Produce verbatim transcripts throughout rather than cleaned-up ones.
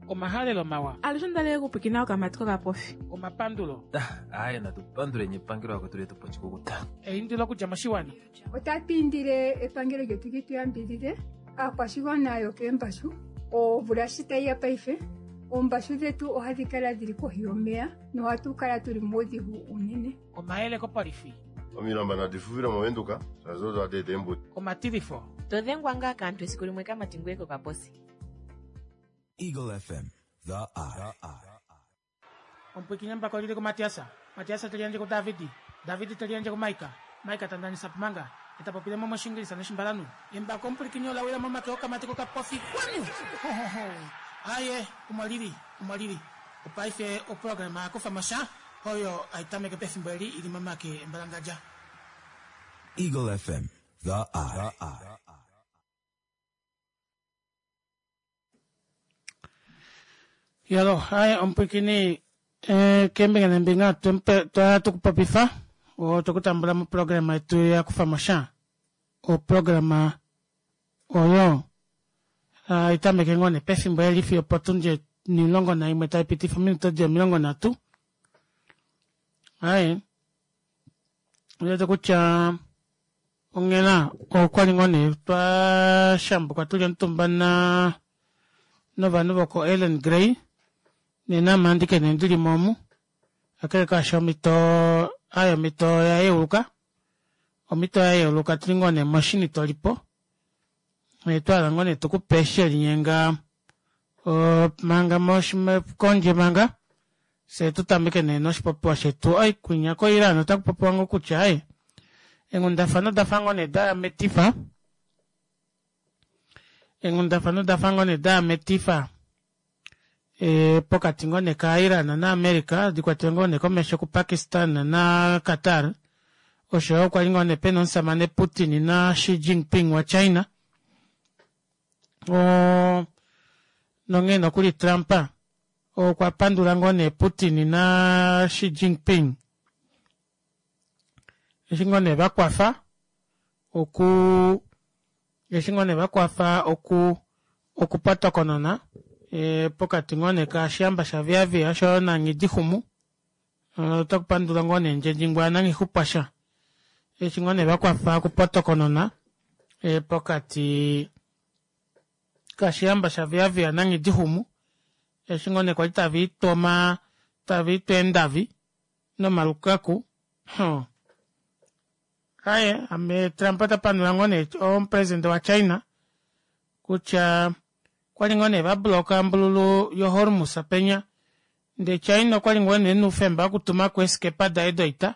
Omahalelo mawa. Alushe ondalele okupwikina okamati kokapofi. Omapandulo. Aaye natu panduleni epangelo lakwetu letu pa oshikukuta. Eindilo okudja moshiwana. Otatu indile epangelo lyetu li tu yambidide aakwashigwana yokeembashu. Omvula shi tayi ya paife, oombashu dhetu ohadhi kala dhili kohi yomeya nohatu kala tuli muudhigu unene. Omayele kopolifi. Omilamba nadi fufile moVenduka shaashi odo hadi eta eembudi. Omatilifo. To dhengwa ngaa kaantu esiku limwe kamati ngoye kokaposi. Eagle F M, The Eye. Omupwiikini embako lili kuMatias. Matias te liyandje kuDavid. David te liyandje kuMaika. Maika ta ndanisa Pumanga. E ta popile mo mOshingilisa nOshimbalanhu. Embako omupwilikini ola wila momake okamati kokapofi. Kwanu! Ho, ho, ho. Aye, omo lili, omo lili. Opaife oprograma ya kufa mo sha, oyo hai tameke pefimbo eli i li momake embalangadja. Eagle F M, The Eye. Yalo, aye, omupwilikini, eh, keembinga neembinga twa tukupopifa, otwe kutambula moprograma yetu ya kufa mo sha. Oprograma oyo hai tameke ngoo nee pefimbo eli fiyo opotundi onimulongo naimwe tai pitifa ominute odi omilongo nhatu. Aye, ondiwete kutya onghela okwali ngoo nee twa shambuka tuli omutumba na novanhu voko Ellen Grey nena ame andike nee ndilimo omu kakele kaasho omhito aye omhito oya yeuluka omhito oya yeuluka tuli ngoo nee moshini tolipo twahala ngoo nee tukupe shelinyenga manga kondje manga fyee tutameke nee noshipopiwa shetu ai kwinya ko Iran ota kupopiwa ngoo kutya aaye eenghundafana odafa ngoo nee daya metifa eenghundafana odafa ngoo nee daya metifa ee pokati ngoo nee ka Iran na America dikwatelwe ngoo nee komesho ku Pakistan na Qatar oshoyo kwali ngoo nee pena omushamane Putin na Xi Jinping wa China oo nonghee nokuli Trump okwa pandula ngoo nee Putin na Xi Jinping eshi ngoo nee vakwafa oku eshi ngoo nee vakwafa oku okupotokonona e, pokati ngoo nee kashihamba shaViavia oshoyo naNghidihumu ota kupandula ngoo nee Ndjendjingwa naNghixupwasha eshi ngoo nee vakwafa okupotokonona e, pokati kashihamba shaViavia naNghidihumu eshi ngoo nee kwali tava itoma tava itu eendavi nomalukaku huh. Aye ame Trump ota pandula ngoo nee omupresident wa China kutya kwali ngoo nee vabloka ombululu yo Hormuz penya ndee China okwali ngoo nee ena okutuma ko eeskepa daye doita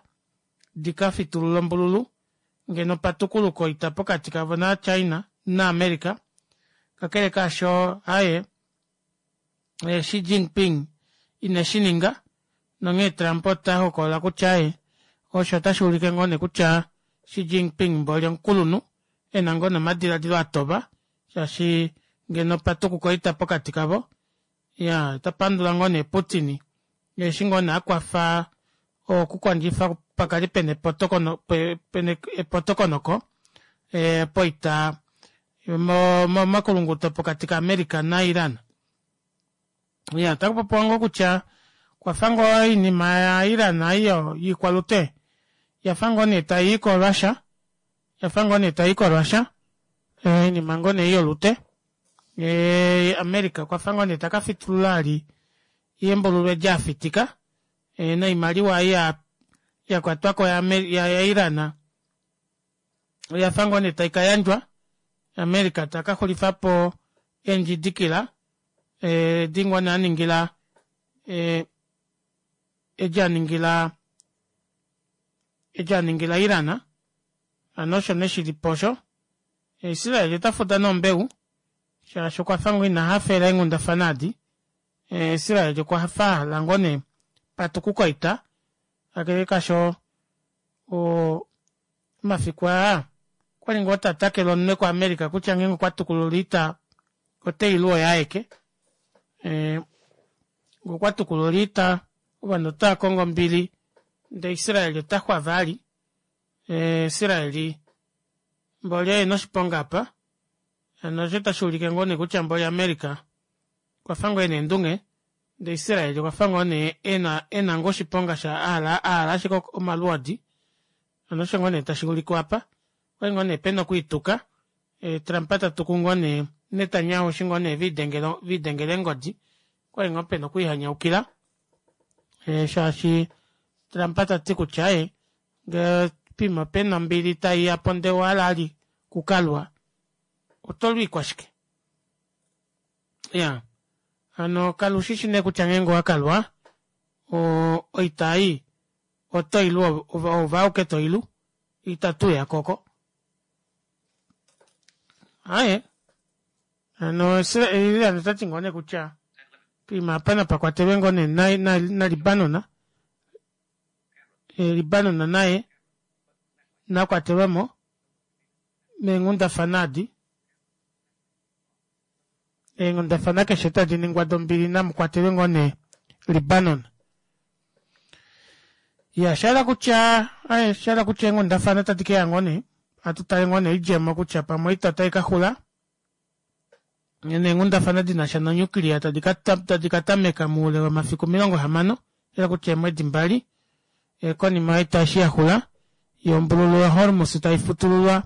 dika fitulula ombululu ngeno patukuluka oita pokati kavo na China na America kakele kaasho aye Xi Jinping ine shininga nonghee Trump ota hokolola kutya aye osho otashi ulike ngoo nee kutya Xi Jinping mboli omukulunhu ena ngoo nomadiladilo atoba shaashi ngeno patukuka oita pokati kavo ya ota pandula ngoo nee Putin eshi ngoo nee akwafa okukondjifa pakali pena epotokonoko e, poita momakulunguto pokati ka America na Iran. Ya, ota kupopiwa ngoo kutya kwafa ngoo oinima ya Iran aiyo yiikwalute yafa ngoo nee tayi ko Russia yafa ngoo nee tayi ko Russia oinima ngoo nee yolute e, America okwafa ngoo nee taka fitulula ali yembululwe lyafitika e, noimaliwa ei ya yakwatwako ya, ya, ya Iran oyafa ngoo nee taika yandjwa America taka xulifapo eendjidikila e, di ngoo nee aningila e, edi aningila edi aningila Iran hano osho nee shilipo osho Israel ota fuda nombeu shaashi okwafa ngoo ina hafela eenghundafana adi Israel okwa fa ahala ngoo nee patukuka oita kakele kasho o omafiku aa okwali ngoo tatakele omunwe ku America kutya ngeenge okwa tukulula oita oteilu oye aeke e, okwa tukulula oita ovanhu otava kongo ombili ndee Israel ota xwa vali e, Israel mboli oye noshiponga apa hano osho tashi ulike ngoo nee kutya mboli America Okwafa ngoo ena eendunge ndee Israel okwafa ngoo nee ena ena ngoo oshiponga sha ahala ahala ashike omalwoodi hano osho ngoo nee tashuulikwa aapa okwali ngoo nee pena okwiituka Trump tatuku ngoo nee Netanyahu eshi ngoo nee velidengela eengodi okwali ngoo pena okwiihanyaukila shaashi Trump tati kutya aaye ngee poima pena ombili taiyapo ndee owahala vali okukalwa otolu ikwashike iyaa hano kala ushishi nee kutya ngeenge owakalwa oo oita ei otoilu oove auke toilu ita tuuyako oko aaye hano Iran otati ngoo neekutya poima aapa napakwatelwe ngoo nee na Libanon Libanon naye nakwatelwemo meenghundafana aadi eenghundafana keshe tadiningwa dombili namukwatelwe ngoo nee Libanon iya oshahala kutya aaye oshahala kutya eenghundafana ota dikeya ngoo nee atutale ngoo nee oidjemo kutya pamwe oita otaikaxula neenghundafana dinasha no nuclear tadi katameka moule womafiku omilongo hamano oshahala kutya eemwedi mbali konima yoita eshi yaxula yoo ombululu ya Hormus taifutululwa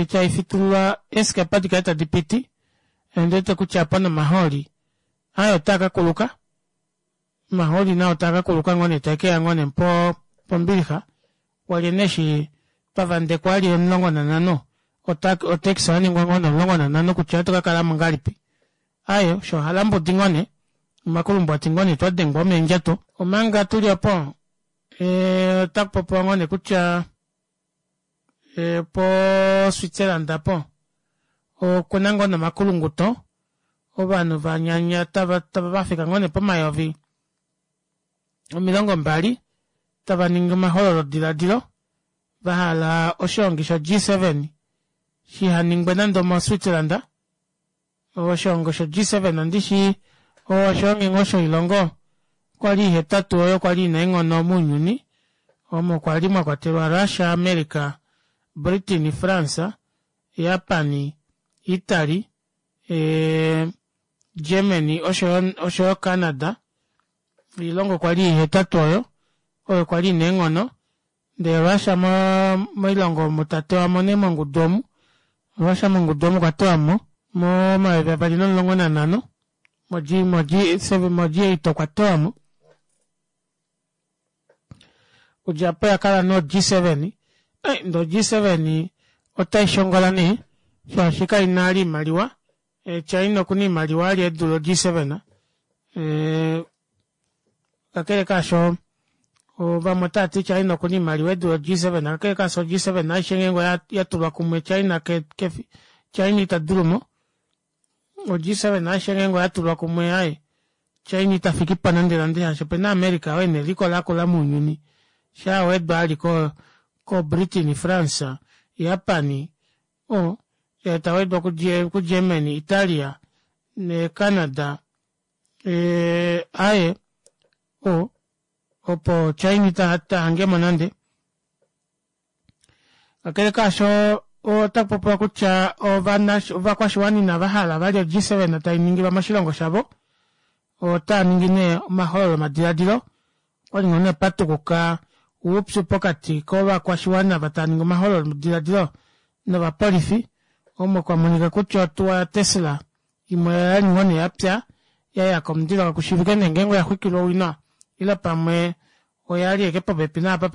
taifutululwa eeskepa dikale tadipiti ondiwete kutya aapa nomahooli aaye otaakakuluka omahooli nao taakakuluka ngoo nee taekeya ngoo nee pombilixa walye nee eshi twavandekwa vali omulongo nanhano otax oyaningwa ngoo nee omulongo nanhano kutya ohatu kakalamo ngahelipi aaye osho ohalambudi ngoo nee omakulumbwati ngoo nee twadengwa omeendjato omanga tuli opo ee otakupopiwa ngoo nee kutya po Switzerland aapo okuna ngoo nee omakulunguto ovanhu vanyanya tava vafika ngoo nee pomayovi omilongo mbali tavaningi omahololo dilaadilo vahala oshihongi sho G seven shihaningwe nande omo Switzerland oshihongi sho G seven ondishi oshihongi ngoo shoilongo kwali ihetatu oyo kwali ina eenghono mounyuni omo kwali mwakwatelwa Russia, America, Britain, France, Japan, Italy, Germany oshoyo Canada oilongo kwali ihetatu oyo oyo kwali ina eenghono ndee Russia moilongo omu tatewamo nee mongudu omu Russia mongudu omu okwatewamo momayovi avali nomulongo nanhano mo G eight okwatewamo okudja aapo oyakala no G seven ndee o G seven otaishongola nee shaashi kaina vali oimaliwa China okuna oimaliwa vali edule o G seven kakele kaasho vamwe otaati China okuna oimaliwa edule o G seven kakele kaasho o G seven aishe ngeenge oyatulwa kumwe China kefi China itadulumo o G seven aishe ngeenge oyatulwa kumwe aaye China itafikipo nande nande shaashi opena America oo ena eliko lakula mounyuni shaawedwa vali ko Britain, France, Japan oo tawedwa ku Germany, Italia Canada aaye opo China itahangemo nande kakele kaasho otakupopiwa kutya ovakwashiwana inavahala vali o G seven tainingilwa moshilongo shavo otaaningi nee omahololo madilaadilo okwali ngoo nee patukuka oupyu pokati kovakwashiwana ava taaningi omahololo dilaadilo novapolifi omo kwamonika kutya otuwa ya Tesla imwe oyali ngoo nee yapya yayaka omundilo kakushiivike nee ngeenge oyaxwikilwa owina ile pamwe oyali ashike popepi naapa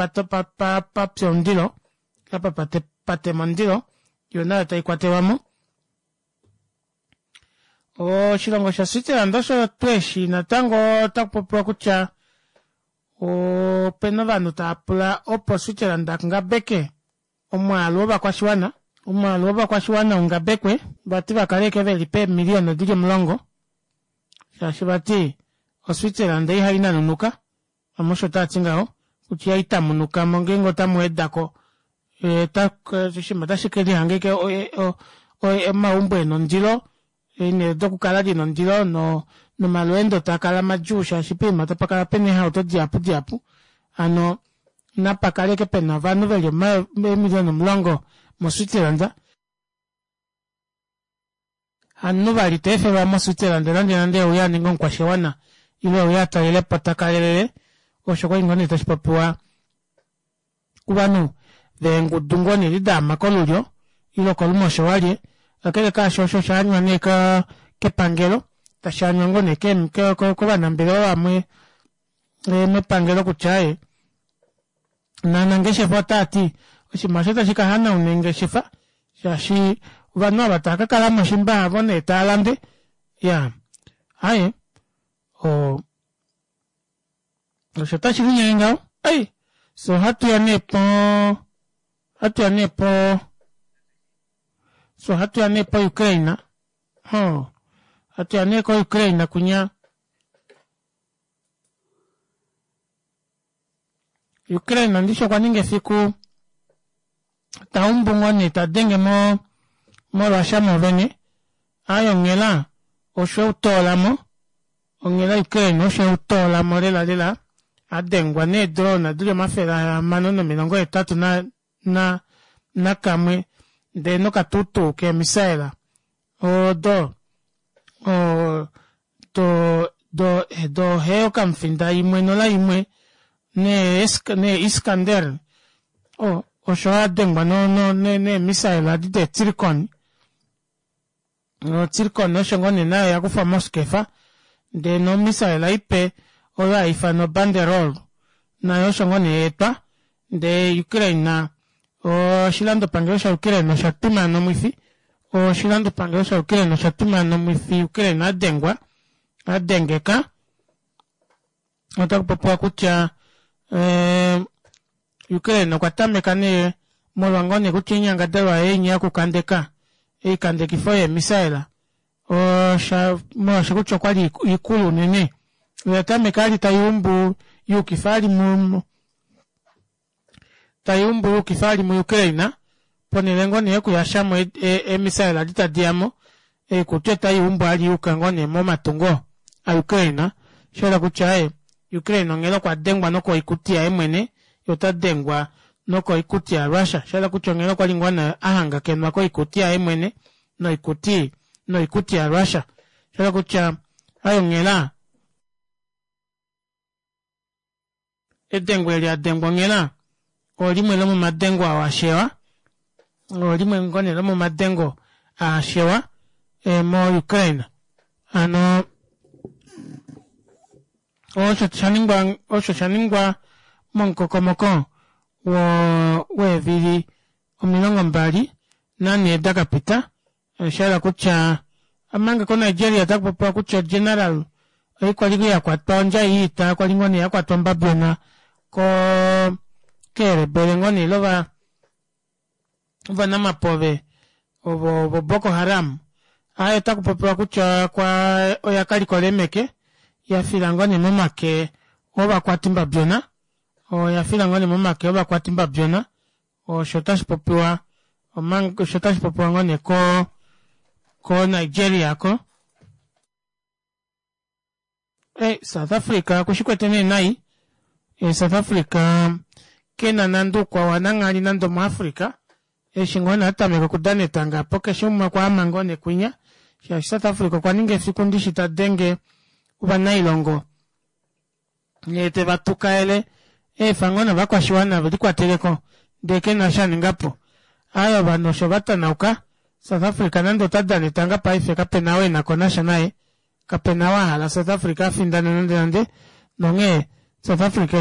papya omundilo apa patema omundilo yoo nayo taikwatelwamo oshilongo sha Switzerland osho tuu eshi natango otakupopiwa kutya opena ovanhu taapula opo Switzerland angabeke omwaalu wovakwashiwana omwaalu wovakwashiwana ungabekwe vati vakale ashike veli peemiliyona dili omulongo shaashi vati o Switzerland ihainanunuka vamwe osho taati ngaho kutya ihaitanunukamo ngeenge otamuwedako oshinima ota kelihanga ashike omaumbo ena ondilo eenele dokukala dina ondilo nomalweendo taakala madjuu shaashi poima tapakala pena eehauto dihapu dihapu hano napakale ashike pena ovanhu veli eemiliyona omulongo mo Switzerland Hamunhu vali teefelwa mo Switzerland nande nande euye aninge omukwashiwana ile euye atalelepo takalelele osho kwali ngoo nee tashipopiwa kovanhu veengudu ngoo nee edi daama kolulyo ile okolumosho walye kakele kaasho osho oshaanywa nee kepangelo tashaanywa ngoo nee kovanambelewa vamwe mepangelo kutya aaye novanangeshefa otaati oshinima aasho ota shikahanauna eengeshefa shaashi ovanhu ava taakakalamo shimba havo nee taalande iyaa aaye oo osho tashilinyenge ngaho ei fyee ohatuya nee poo ohatuya nee poo fyee ohatuya nee po ukraine hoo hatuya nee ko ukraine kunya Ukraine ndishi okwaninga efiku taumbu ngoo nee tadenge mo mo russia moovene aaye onghela osho eutoolamo onghela ukraine osho eutoolamo lela lela adengwa nee drone dili omafele ahamano nomilongo hetatu na na nakamwe ndee nokatutu kee missile odo oo do do hee okamufinda imwe nola imwe nee iskander oo osho adengwa nee missile edi dee tsirkon o tsirkon osho ngoo nee nayo oyakufwa moskefa ndee no missile ipe oyo haifanwa banderol nayo osho ngoo nee yaetwa ndee ukraine oshilandopangelo sha ukraine osha twimaana omwifi oshilandopangelo sha ukraine osha twimaana omwifi ukraine adengwa adengeka otakupopiwa kutya ee Ukraine okwa tameka nee molwa ngoo nee kutya oinyangadalwa yaye inya yokukandeka oikandekifo yee missile osha molwaashi kutya okwali ikulu unene oya tameka vali tayuumbu yuukifa vali mo tayuumbu yuukifa vali mu ukraine ponele ngoo nee yokuyashamo ee missile edi tadiyamo oikuti ota yuumbu vali yuuka ngoo nee momatungo a ukraine shayela kutya aaye ukraine onghela okwadengwa nokoikuti yaye mwene yee otadengwa nokoikuti ya russia shayela kutya onghela okwali ngoo nee ahangakenwa koikuti yaye mwene noikuti noikuti ya russia shayela kutya aaye onghela edengo eli adengwa onghela olimwe lomomadengo oo ashewa olimwe ngoo nee lomomadengo aashewa mo ukraine hano osho shaningwa osho shaningwa momukokomoko weevili omilongo mbali nanhee dakapita oshayela kutya omanga ko nigeria otakupopiwa kutya general okwali yakwatwa ondjai yoita kwali ngoo nee yakwatwa ombabyona koo keerebele ngoo nee ile ovanamapove ovo vo boko haram aaye otakupopiwa kutya oya kalikola eemeke yafila ngoo nee momake ovakwati mbabyona oyafila ngoo nee momake ovakwati mbabyona osho tashipopiwa omanga osho tashipopiwa ngoo nee ko ko nigeria aako ee south africa okushikwete nee nai south africa kena nande oukwao wananghali nande omu africa eshi ngoo nee atameka okudana etanga aapo keshe umwe okwaama ngoo nee kwinya shaashi south africa okwaninga efiku ndishi tadenge ovanailongo yee tevatukaele eefa ngoo nee ovakwashiwana velikwateleko ndee kena eshi aningapo aaye ovanhu osho vatanauka south africa nande otadana etanga paife kapena ou enakonasha naye kapena ou ahala south africa afindane nande nande nonghee south africa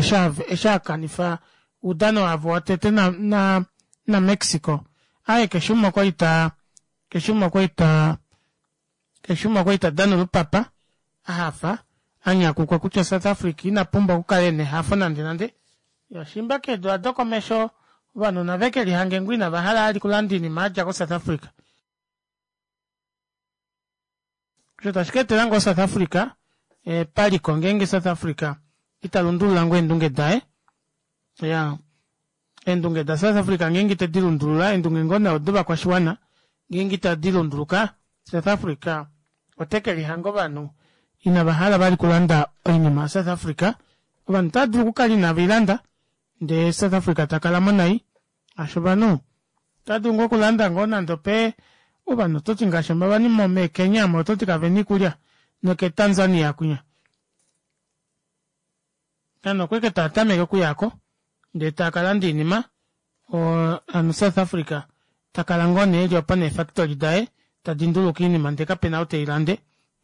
eshi akanifa oudano wavo wotete na na na mexico aaye keshe umwe okwali taa keshe umwe okwali taa keshe umwe okwali tadana olupapa ahafa anyakukwa kutya south africa inapumbwa okukala ena ehafo nande nande shimba keedula dokomesho ovanhu navekelihange ngoo inavahala vali okulanda oinima yadja ko south africa osho tashi kaetela ngoo south africa paliko ngeenge south africa ita lundulula ngoo eendunge daye iyaa eendunge da south africa ngeenge itedi lundulula eendunge ngoo nee odovakwashiwana ngeenge itadi lunduluka south africa otekelihanga ovanhu ina vahala vali okulanda oinima ya south africa ovanhu otava dulu okukala inaveilanda ndee south africa takalamo nai shaashi ovanhu otava dulu ngoo okulanda ngoo nande ope Ovanhu ototi ngaashi ovanhu meeKenya omo ototi kavena oikulya nokeTanzania kwinya ovanhu okwali ashike taatameke okuyako ndee taakalanda oinima oo hano south africa takala ngoo nee eli opo nee factory daye tadi nduluka oinima ndee kapena ou teilande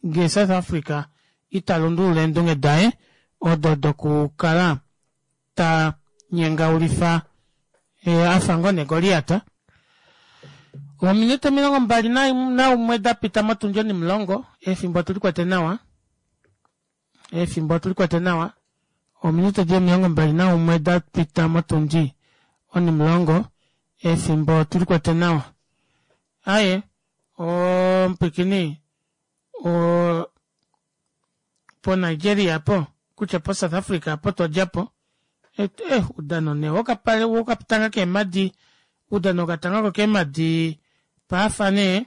ngee south africa ita lundulula eendunge daye odo dokukala tanyengaulifa afa ngoo nee goliat. Ominute omilongo mbali naumwe dapita motundi onimulongo efimbo otulikwete nawa efimbo otulikwete nawa ominute dili omilongo mbali naumwe dapita motundi onimulongo efimbo otulikwete nawa aaye oo omupwiikini oo po nigeria aapo kutya po south africa aapo twadjapo eh oudano nee wokapale wokatanga keemadi oudano wokatanga kokeemadi paafa nee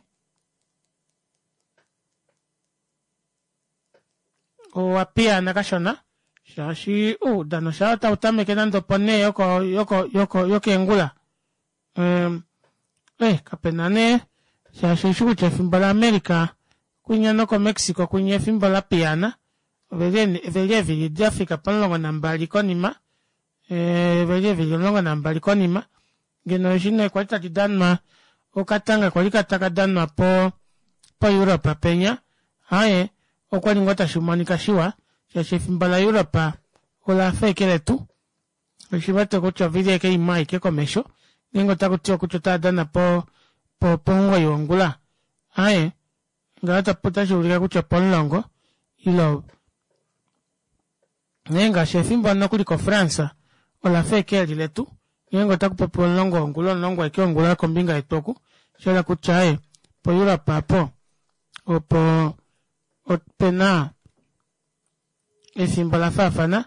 owapiyaana kashona shaashi oudano shaa tautameke nande opo nhee yoko yoko yokeengula eh kapena nee shaashi oushi kutya efimbo la america kwinya noko mexico kwinya efimbo lapiyaana oveli eevili dafika pomulongo nambali konima oveli eevili omulongo nambali konima ngeno eshi nee kwali tali danwa okatanga kwali takadanwa po po europe penya aaye okwali ngoo tashimonika shiwa shaashi efimbo la europe olafa ashike letu oshiwete kutya ovili ashike imwe aike komesho ngeenge otakutiwa kutya otaadana po pomugoyi wongula aaye ngaho otashuulike kutya opomulongo ile nghee ngaashi efimbo nokuli ko france olafa ashike eli letu ngeenge otakupopiwa omulongo wongula omulongo ashike wongula kombinga yetu oku oshahala kutya aaye po europe aapo opo opena efimbo lafaafana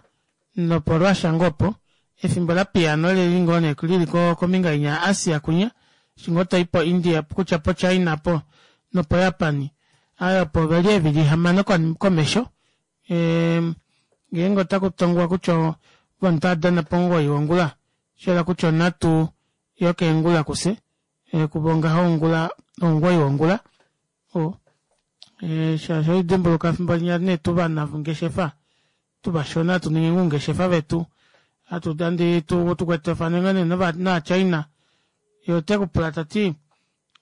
nopo russia ngoo opo efimbo lapiyaana oleli ngoo nee lili kombinga inya ya asia kwinya eshi ngoo toi po india kutya po china aapo nopo japan aaye opo oveli eevili hamano komesho ngeenge otakutongwa kutya ovanhu otaadana pomugoyi wongula oshahala kutya onhatu yokeengula kufye kuvo ngaho ongula omugoyi wongula oo shaashi ohaidimbuluka efimbo linya nee tuvanangeshefa tuvashona hatuningi oungeshefa vetu hatu tukwetafane ngoo nee nova china yee otekupula tati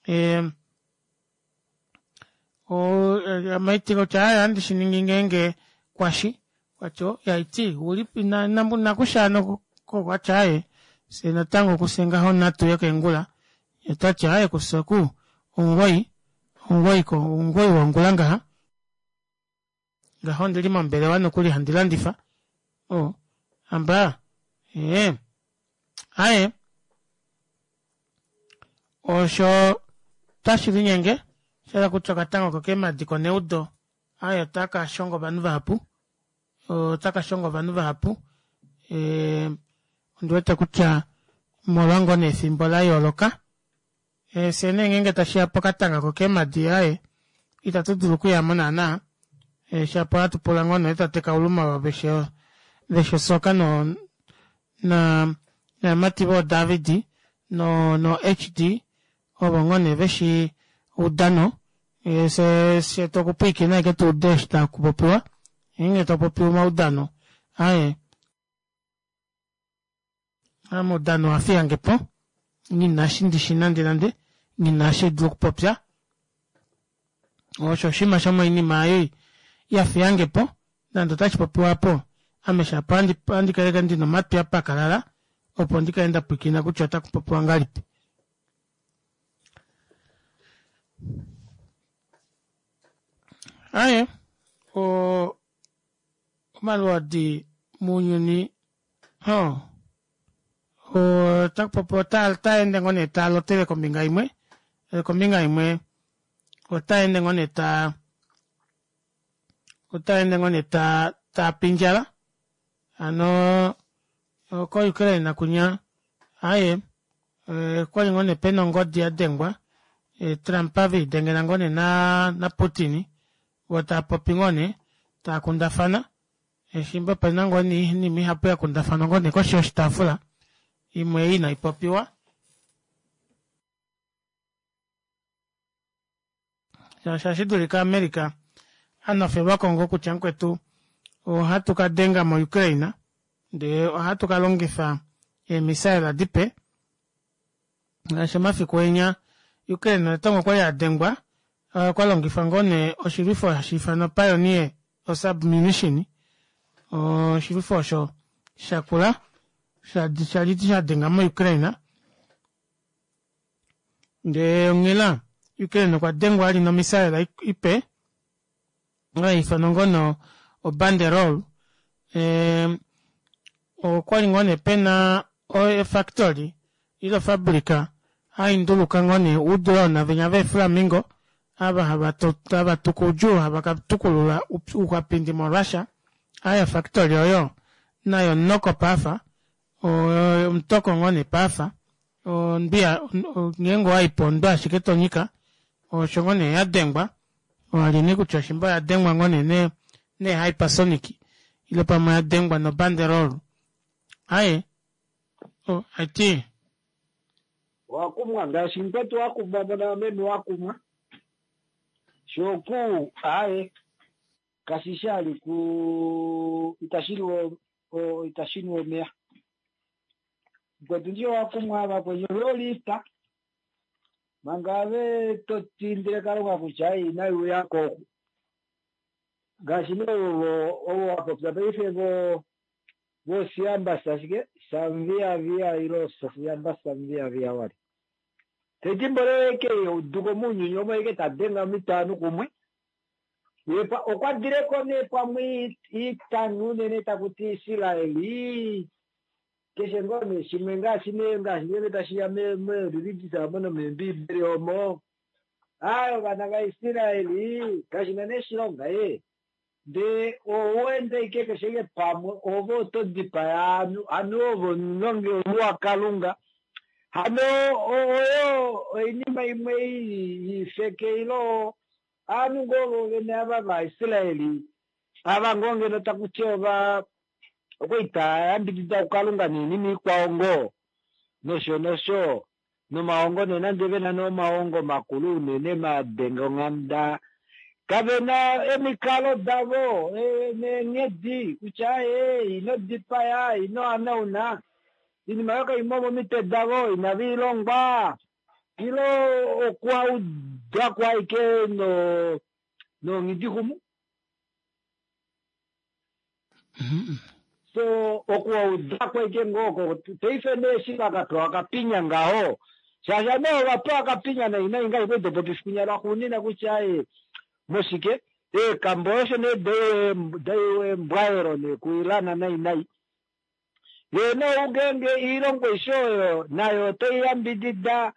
ame ohaiti kutya aaye ohandi shiningi ngeenge kwashi okwati oo haiti oulipi nakusha hano okwati aaye fyee natango kufye ngaho onhatu yokeengula yee otati aaye kufye oku omugoyi omugoyi wongula ngaha ngaho ondili mombelewa nokuli handi landifa oo hambaa ee aaye osho tashilinyenge oshahala kutya okatanga kokeemadi koneudo aaye otakashongo ovanhu vahapu otakashongo ovanhu vahapu ondiwete kutya omolwa ngoo nee efimbo layooloka fyee nee ngeenge tashiya pokatanga kokeemadi aaye ita tudulu okuyamo naana shapo ohatu pula ngoo nee tate kauluma veshi osoka novamati voo david no hd ovo ngoo nee veshi oudano fyee tokupwiikina ashike tuude eshi takupopiwa ngeenge takupopiwa omaudano aaye ame oudano owafiyangepo nghina eshi ndishi nande nande nghina eshi haidulu okupopya osho oshinima shomoinima ei yafiyangepo nande otashipopiwa aapo ame shapo ohandi kala ashike ndina omatwi apakalala opo ndikale ndapwiikina kutya otakupopiwa ngahelipi. Aaye oo omalwoodi mounyuni hoo otakupopiwa otaende ngoo nee taalotele kombinga imwe kombinga imwe otaende ngoo nee taa otaende ngoo nee taapindjala hano ko ukraine kwinya aaye okwali ngoo nee pena ongodi yadengwa trump velidengela ngoo nee na putin voo taapopi ngoo nee taakundafana eshiimba opena ngoo nee oinima ihapu yakundafanwa ngoo nee koshi yoshitaafula imwe ei inaipopiwa Shaashi ohashi dulika America anofelwako ngoo kutya mukwetu ohatu kadenga mo Ukraine ndee ohatu kalongifa eemissile dipe shaashi omafiku enya Ukraine natango okwali adengwa kwalongifwa ngoo nee oshilwifo hashiifanwa Pioneer o submunition oshilwifo osho shakula shali shadenga mo Ukraine ndee onghela Ukraine okwa dengwa ali nomissile ipe haifanwa ngoo nee o Banderol ee okwali ngoo nee pena efactory ile ofabrica hainduluka ngoo nee oudrone venya vee flamingo ava hava tuka oudjuu hava katukulula ouxwapindi mo Russia aaye ofactory oyo nayo omunoko paife omutoko ngoo nee paife ondwi ngeenge owaipo ondwi ashike tonyika osho ngoo nee yadengwa wali nee kutya shimba oyadengwa ngoo nee nee hypersonic ile pamwe oyadengwa no banderol aaye haiti wakumwa ngaashi mukwetu wakumwa mona meme wakumwa shoku aye kashishi ali ku itashiliwa itashiniwa omeya mukwetu ndiyo wakumwa ava kwenye lolita manga ave totindile kalunga kutya inayiuyako oku ngaashi nee ovo ovo wapopya paife vo vosiyambasa shike samviavia ilo siyambasa samviavia wali tetimbo leke uduko muunyuni omo eke tadenga mitano kumwe yepa okwadileko nee pamwe itanu unene takuti Israeli keshe ngoo nee shimwe ngaashi nee ngaashi ngenge tashiya mereligious omo nomembibeli omo ayi ovana vaIsraeli kashina nee shilonga ye ndee owende ike keshe ike pamwe ove oto dipaya anu anu ovo nonge wakalunga hano oyo oinima imwe ifeke ilo anu ngoo vene ava vaIsraeli ava ngoo ngeno takuti ova okwaita yambidida kukalunga noinima ikwao ngoo nosho nosho nomaongo nee nande vena nee omaongo makulu unene madenga onghamda kavena emikalo davo neenghedi kutya ee ino dipaya ino hanauna inima yo kaimo momitwe davo inaviilongwa ilo okwaudako aike no nonghidixumu so okuwaudako aike ngoko paife nee eshi vakapewa akapinya ngaho shaashi ame ovapewa akapinya nai nai ngai kwaidopopi lwaxuunina kutya e moshike eekambo osho nee daiwembwaelo nee kuilana nai nai yee ungenge iilongo aishe oyo nayo otoiyambidida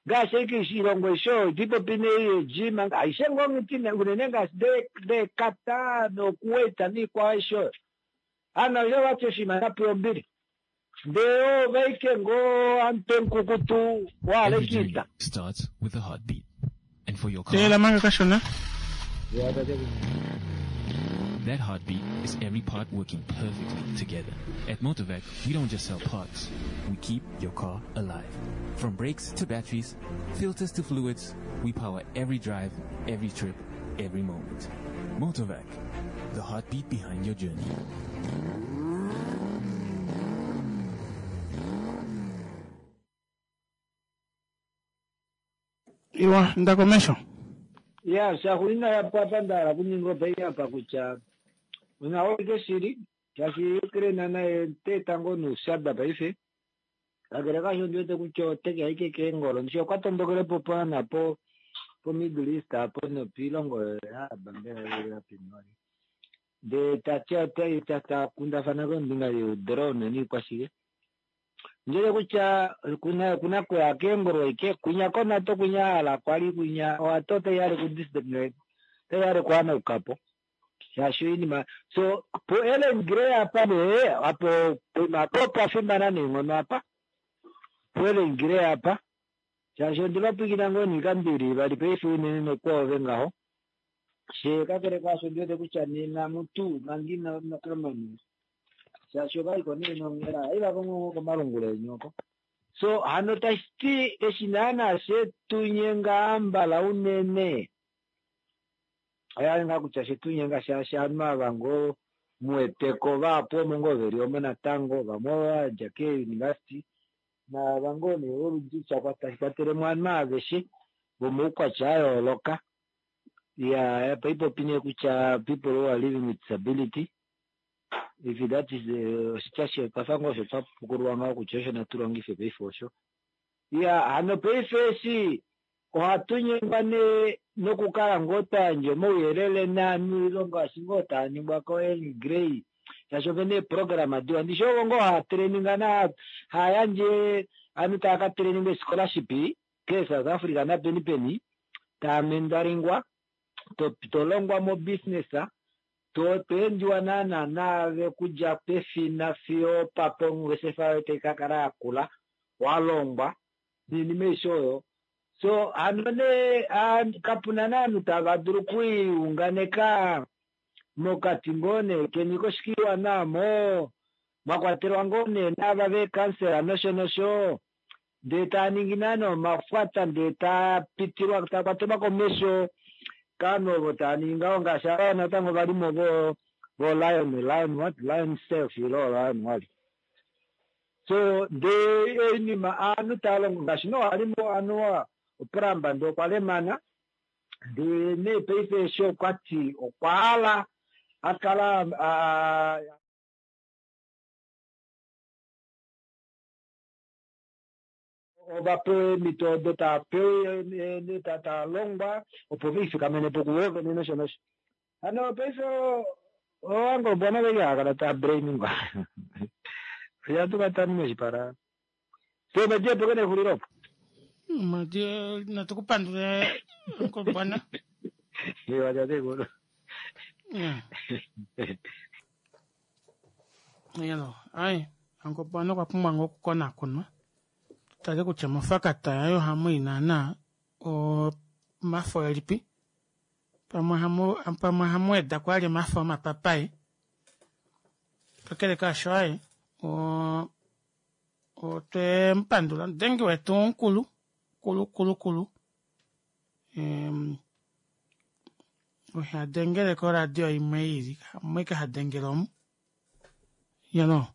ngaashi aike iilongo aishe oyo itipopi neejima aishe ngoo ngiti unene ngaashi deekata nokuwait niikwao aishe oyo hano aishe vati oshinima shapewa ombili ndee ovaike ngoo amutwe mukukutu wahala starts with a heartbeat. And for your car, teela manga kashona that heartbeat is every part working perfectly together. At Motorvac, we don't just sell parts. We keep your car alive. From brakes to batteries, filters to fluids, we power every drive, every trip, every moment. Motorvac, the heartbeat behind your journey. Iwa ndakomesho ya shaxulina yapwa ndahala kuninga opai apa kutya unaolike shili shaashi Ukraine naye teeta ngoo noushada paife kakele kasho ndiwete kutya oteke aike keengolo ndishi okwa tondokelepo paana po po Middle East apo nopiilongo yaabambela ndee tati ota takundafana kombinga youdrone niikwashike ndele kutya kuna kuna kuya keengolo ike kunya konato kunya hala kwali kunya owato otaihale ku taihale kuhanaukapo shaashi oinima so po Ellen Grey apa nee apo poima po pwafimana neenghono apa po Ellen Grey apa shaashi ondivapwikina ngoo niikambili vali paife unene nokwoove ngaho she kakele kaasho ndiwete kutya nena mutu manga ina nokamani shaashi ovaliko nee nonghela aivavongongo komalungula enyoko so hano tashiti eshi naana shetunyenga ambala unene Oya ngaa kutya shetunyenga shaashi aanhu ava ngoo muweteko vahapu omo ngoo veli omo natango vamwe ovadja keeuniversity naava ngoo nee oludji tashi kwatelemo ovanhu aveshe vomaukwatya ayooloka. Ya paipopi nee kutya people who are living with disability if that is oshitya shekwafa ngoo osho twapukululwa ngaho kutya osho natu longife paife osho. Ya hano paife eshi ohatu nyengwa nee nokukala ngoo twayandja omauyelele naanhu ngaashi ngoo taa ningwa ko-Earl Grey shaashi opena eeprograma diwa ndishi ovo ngoo haa traininga na haayandje ovanhu tava ka traininga scholarship ke South Africa napeni peni taa mentoringwa tolongwa mo business to toendiwa naana naave kudja pefina fiyo papo ongeshefa yoye tai kakala yakula walongwa noinima aishe oyo. So hano nee kapuna naanhu tava dulu okwiunganeka mokati ngoo nee keni koshikiwana mo mwakwatelwa ngoo nee naava veekansela nosho nosho ndee taa ningi naana omafwata ndee taa pitilwa taa kwatelwa komesho kaanhu ovo taa ningi ngaho ngaashi ava natango valimo vo vo lion lion what lion self ilo lion what so ndee oinima aanhu taa longo ngaashi nowalimo anuwa oPolamba ndee okwa lemana ndee nee paife eshi okwati okwa hala akala ovapewa eemhito odo taapewa taalongwa opo veifikamene po kuvo vene nosho nosho. Hano paife owangobwana veke hakala taa brainingwa oya moshipala so kene exulilo opo natu kupandule ngobwana. Iwa tatekulu. Yelo ai angobwana okwa pumbwa ngoo okukonakonwa tale kutya mofakata yaye ohamu i naana omafo elipi pamwe pamwe ohamu weda kwali omafo omapapai kakele kaasho aye otwe mupandula omudengi wetu mukulu kulu kulu kulu ohadengele koradio imwe ili hamwike hadengele omu yeno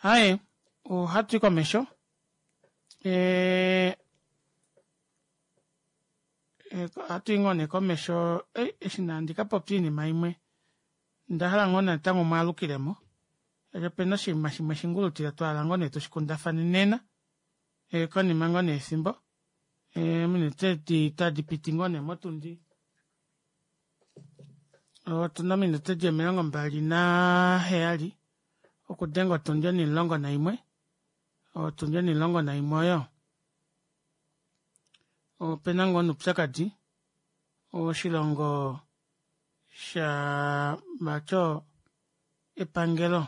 aye ohatu komesho ohatu i ngoo nee komesho eshi nandi kapopya oinima imwe ndahala ngoo natango mwaalukilemo opena oshinima shimwe shingulutila twahala ngoo nee tushikundafane nena konima ngoo nee efimbo ominute tadi piti ngoo nee motundi otuna ominute di omilongo mbali naheyali okudenga otundi onimulongo naimwe otundi onimulongo naimwe oyo opena ngoo noupyakadi oshilongo sha vati epangelo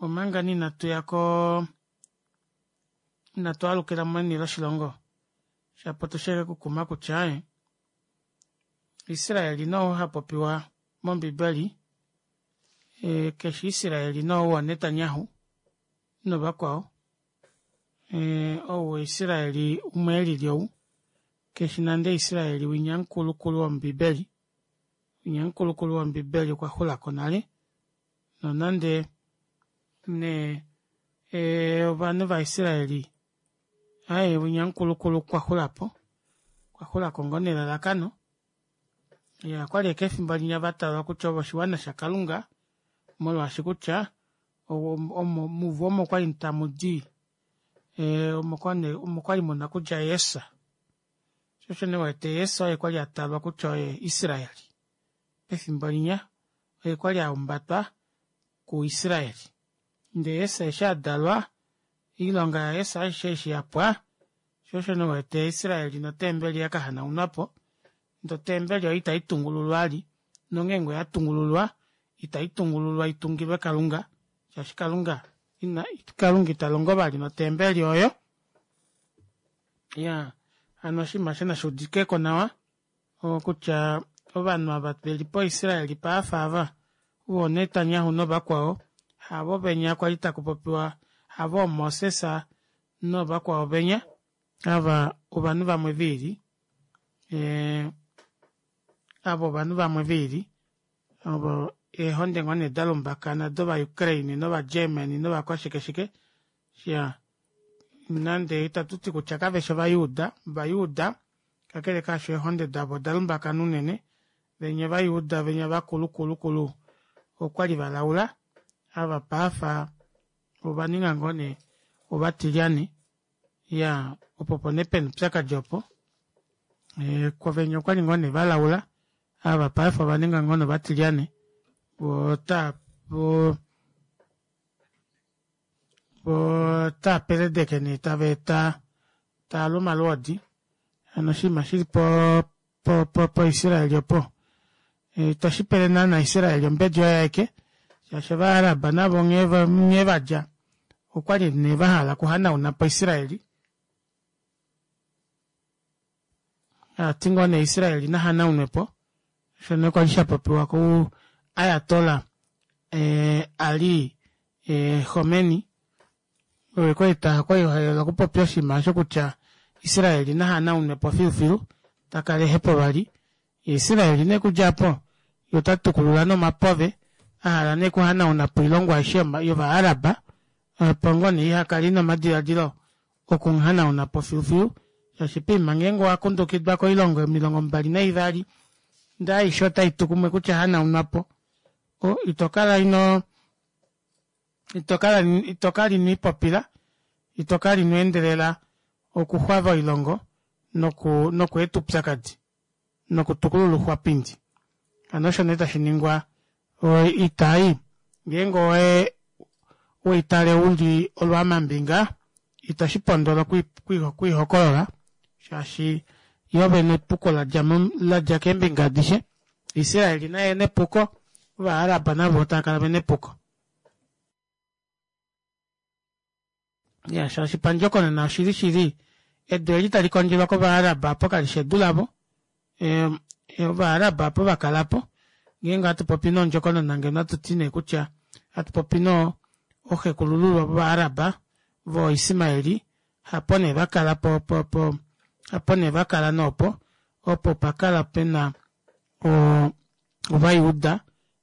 omanga inatu yako inatu alukila meni loshilongo shapo tusheke kukuma kutya Israel no hapopiwa mombibeli e, keshi Israel no wa Netanyahu novakwao e, ou Israel umwe elili ou keshi nande Israel winya mukulukulu wombibeli winya mukulukulu wombibeli okwa xulako nale nonande ne e, ovanhu vaIsraeli aye winya mukulukulu okwa xulapo okwa xulako ngoo nelalakano ya okwali eke efimbo linya vatalwa kutya ovo oshiwana shakalunga molwaashi kutya omo muvo omo kwali tamu di omo kwali muna kudja Jesus shosho nee wete Jesus oye kwali atalwa kutya oye Israel pefimbo linya oye kwali aumbatwa kuIsrael ndee Jesus eshi adalwa oilonga yaJesus aishe eshi yapwa shosho nee wete Israel notembeli yakahanaunwapo ndee otembeli oyo itayi tungululwa vali nongeenge oyatungululwa itayi tungululwa itungilwe kalunga shaashi kalunga ina kalunga italongo vali notembeli oyo ya hano oshinima osho nashuudikeko nawa okutya ovanhu ava veli poIsrael paafa ava voo Netanyahu novakwao havo venya kwali takupopiwa havo Moses novakwao venya ava ovanhu vamwe viili e, Ava ovanhu vamwe velili ovo eehonde ngoo nee dalumbakana dova Ukraine nova Germany novakwashike shike iyaa nande itatuti kutya kaveshi ovayuuda ovayuuda kakele kaasho eehonde davo odalumbakana unene venya ovayuuda venya vakulu kulu kulu okwali valaula ava paife ovaninga ngoo nee ovatilyane iyaa opo opo nee pena oupyakadi opo venya okwali ngoo nee valaula ava paife ovaninga ngoo nee ovatilyane voo ota voo ota peledeke nee tavaeta taalu omalwoodi hano oshinima shili po- po- po israel opo ito shipele naana israel ombedi oye aeke shaashi ova arab navo nghee vadja okwali nee vahala okuhanaunapo israel taati ngoo nee israel nahanaunwepo osho nee kwali shapopiwa ku ayatollah ali khomeni oye kwali ehole okupopya oshinima aasho kutya israel nahanaunwepo filufilu takala ehepo vali yee israel nee okudja aapo yee otatukulula nee omapove ahala nee okuhanaunapo oilongo aishe yova arab opo ngoo nee ihakala ina omadilaadilo okumuhanaunapo filufilu shaashi poima ngeenge owakundukidwa koilongo omilongo mbali naivali ndee aishe otaitu kumwe kutya hanaunwapo itokala inoo itokala itokala inwiipopila itokala inweendelela okuxwava oilongo noku nokweeta oupyakadi nokutukulula ouxwapindi hano osho nee tashiningwa oita ei ngeenge owe weitale uli olwaamambinga ito shipondola okwiihokolola shaashi yoo vene epuko ladja keembinga adishe israel naye ena epuko ova arab navo taakala vena epuko iya shaashi pandjokonona oshili shili edu eli talikondjelwa kova arab aapo kalishi edu lavo ova arab aapo vakalapo ngeenge ohatupopi nee ondjokonona ngeno ohatuti nee kutya hatupopi nee ooxekulululwa vova arab voo ismaeli hapo nee vakala po- po- po hapo nee vakala nee opo opo pakala pena oo ovayuuda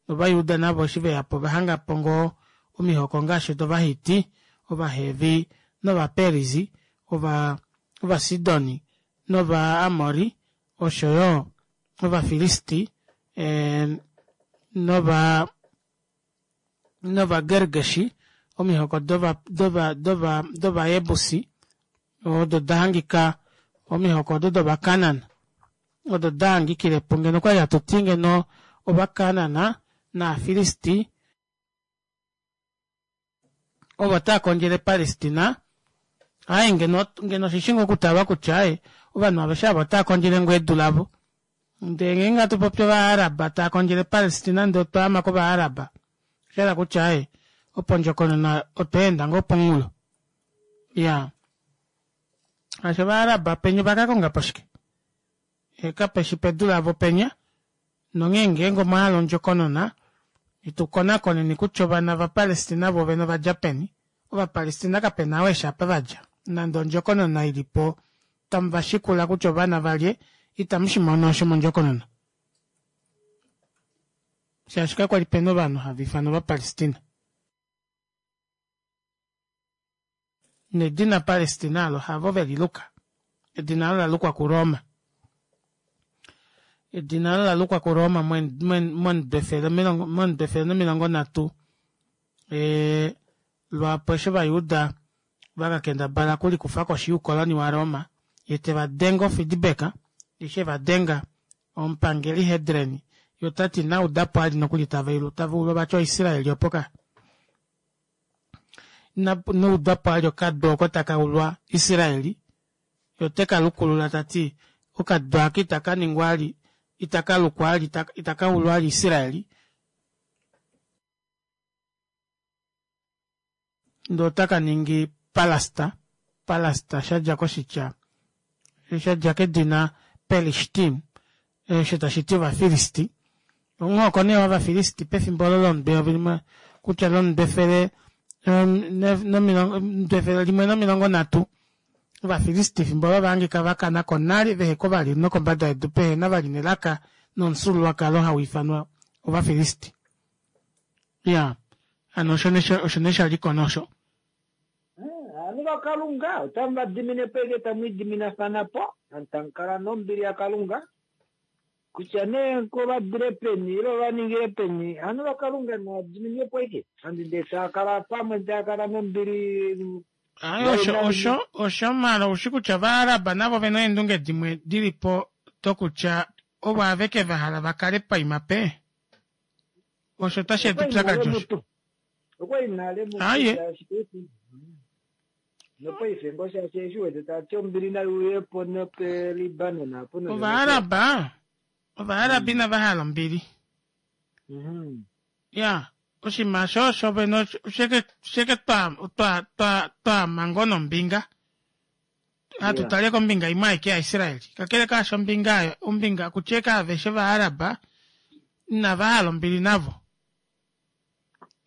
novayuuda navo eshi veyapo ovahangapo ngoo omihoko ngaashi dovahiti ovahevi novaperizzi ova ovasidoni nova amori oshoyo ovafilisti nova novagergeshi omihoko dova dova dova dovajebusi odo dahangika omihoko odo dova canaan odo dahangikilepo ngeno okwali hatuti ngeno ova canaan nova filisti ovo taakondjele palestina aaye ngeno ngeno oshishi ngoo okutalwa kutya aaye ovanhu aveshe aava otaakondjele ngoo edu lavo ndee ngeenge hatu popi ova arab taakondjele palestina ndee otwaama kova arab oshahala kutya aaye opondjokonona otweenda ngoo pomunghulo iyaa shaashi ova arab penya ovakakongapo shike kapeshi pedu lavo penya nonghee ngeenge omwahala ondjokonona itukonakoneni kutya ovana vapalestina voovene ovadja peni ovapalestina kapena ou eshi apa vadja nande ondjokonona ilipo tamuvashikula kutya ovana valye itamushimono osho mondjokonona shaashi kakwali pena ovanhu hava ifanwa ovapalestina nedina palestina alo havo veliluka edina olo lalukwa kuroma edina olo lalukwa kuroma momudo efele momudo efele nomilongo nhatu lwaapo eshi ovayuda vakakendabala okulikufa koshi youkoloni wa roma yee tevadenge ofeedback eshi evadenga omupangeli Hadrian yee otati inaudapo vali nokuli tavaulwa vati oisraeli opo ka inaudapo vali okadu oko takaulwa israeli yee otekalukulula tati okadu aaka itakaningwa vali itakalukwa vali itakaulwa vali israeli ndee otakaningi palasta palasta shadja koshitya shadja kedina pelishtim osho tashiti ovafilisti omuhoko nee wovafilisti pefimbo olo lomudo eyovi limwe kutya lomudo efele omudo efele limwe nomilongo nhatu ovafilisti efimbo olo ovahangika vakanako nale veheko vali nokombada yedu pehena vali nelaka Nomufyuululwakalo hau ifanwa Ovafilisti. Ya, hano osho nee osho nee sha li ko nosho. Ovanhu vaKalunga otamu va dimine po eke tamu idiminafana po, tamu kala nombili yaKalunga. Kutya nee ko va dile peni ile va ningile peni, ovanhu vaKalunga nava diminwe po eke. Handi ndee taa kala pamwe taa kala nombili. Aye, osho osho osho maala oushi kutya Ovaaraba navo ove na eendunge dimwe di li po dokutya ovo aveke va hala va kale paima pe. Osho otashi eta upyakadi osho. Okwa nale mutu Aye. shaashi paife nopaife ngoo shaashi eshi wete tati ombili nai uye po nope Libanon apo no- Ovaaraba Ovaaraba inava hala ombili. Mhm. Ya, oshinima osho osho vene osheke sheke twa twa twa twaama ngoo nombinga. Hatu Yeah. tale kombinga imwe aike yaIsrael. Kakele kaasho ombinga oyo, ombinga kutya eke aveshe Ovaaraba inava hala ombili navo.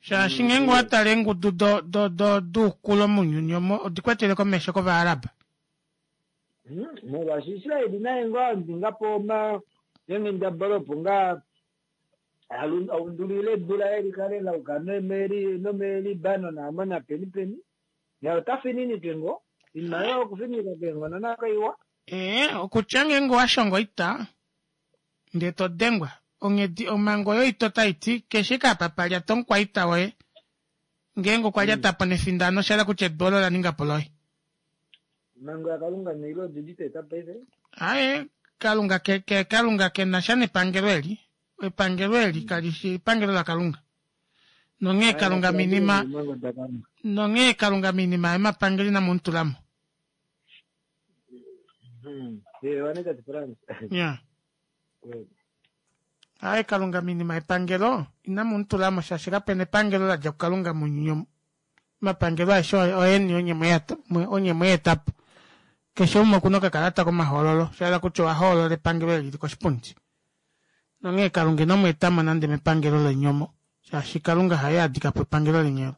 Shaashi ngeenge owa tale eengudu do do do duukulo mounyuni omo odi kwetele komesho kOvaaraba. Mhm. Molwaashi Israel naye ngoo a ninga po oma eenghendabala opo ngaa alu- aundulile edu laye li kale la yuka nomeli nomelibanon amo napeni peni. Naye ota fininike ngoo inima yoye okufininika keenghono nakaiwa. Ee, okutya ngeenge owa shonga oita ndee to dengwa onghedi omhango yoita otai ti keshe eke apa pa lyata omukwaita woye ngeenge okwa lyata po nefindano osha hala kutya edu olo la ninga po loye. Omhango yaKalunga neilo odili teta paife. Aye, Kalunga ke, ke Kalunga ke na sha nepangelo eli. Epangelo eli kali fi epangelo laKalunga. Nonghee Kalunga minima Omhango daKalunga. nonghee Kalunga minima yomapangelo inamu mu tula mo. Mhm. Eh, wane tate Frans. Ya. Aye, Kalunga minima yepangelo inamu mu tula mo shaashi kapena epangelo la dja kuKalunga mounyuni omu. Omapangelo aeshe oeni onye mwe mwe eta po. Keshe umwe okuna okakalata komahoololo, sha hala kutya owa hoolola epangelo eli lili koshipundi. Nonghee Kalunga ino mu eta mo nande mepangelo leni omo, shaashi Kalunga haye a dika po epangelo leni olo.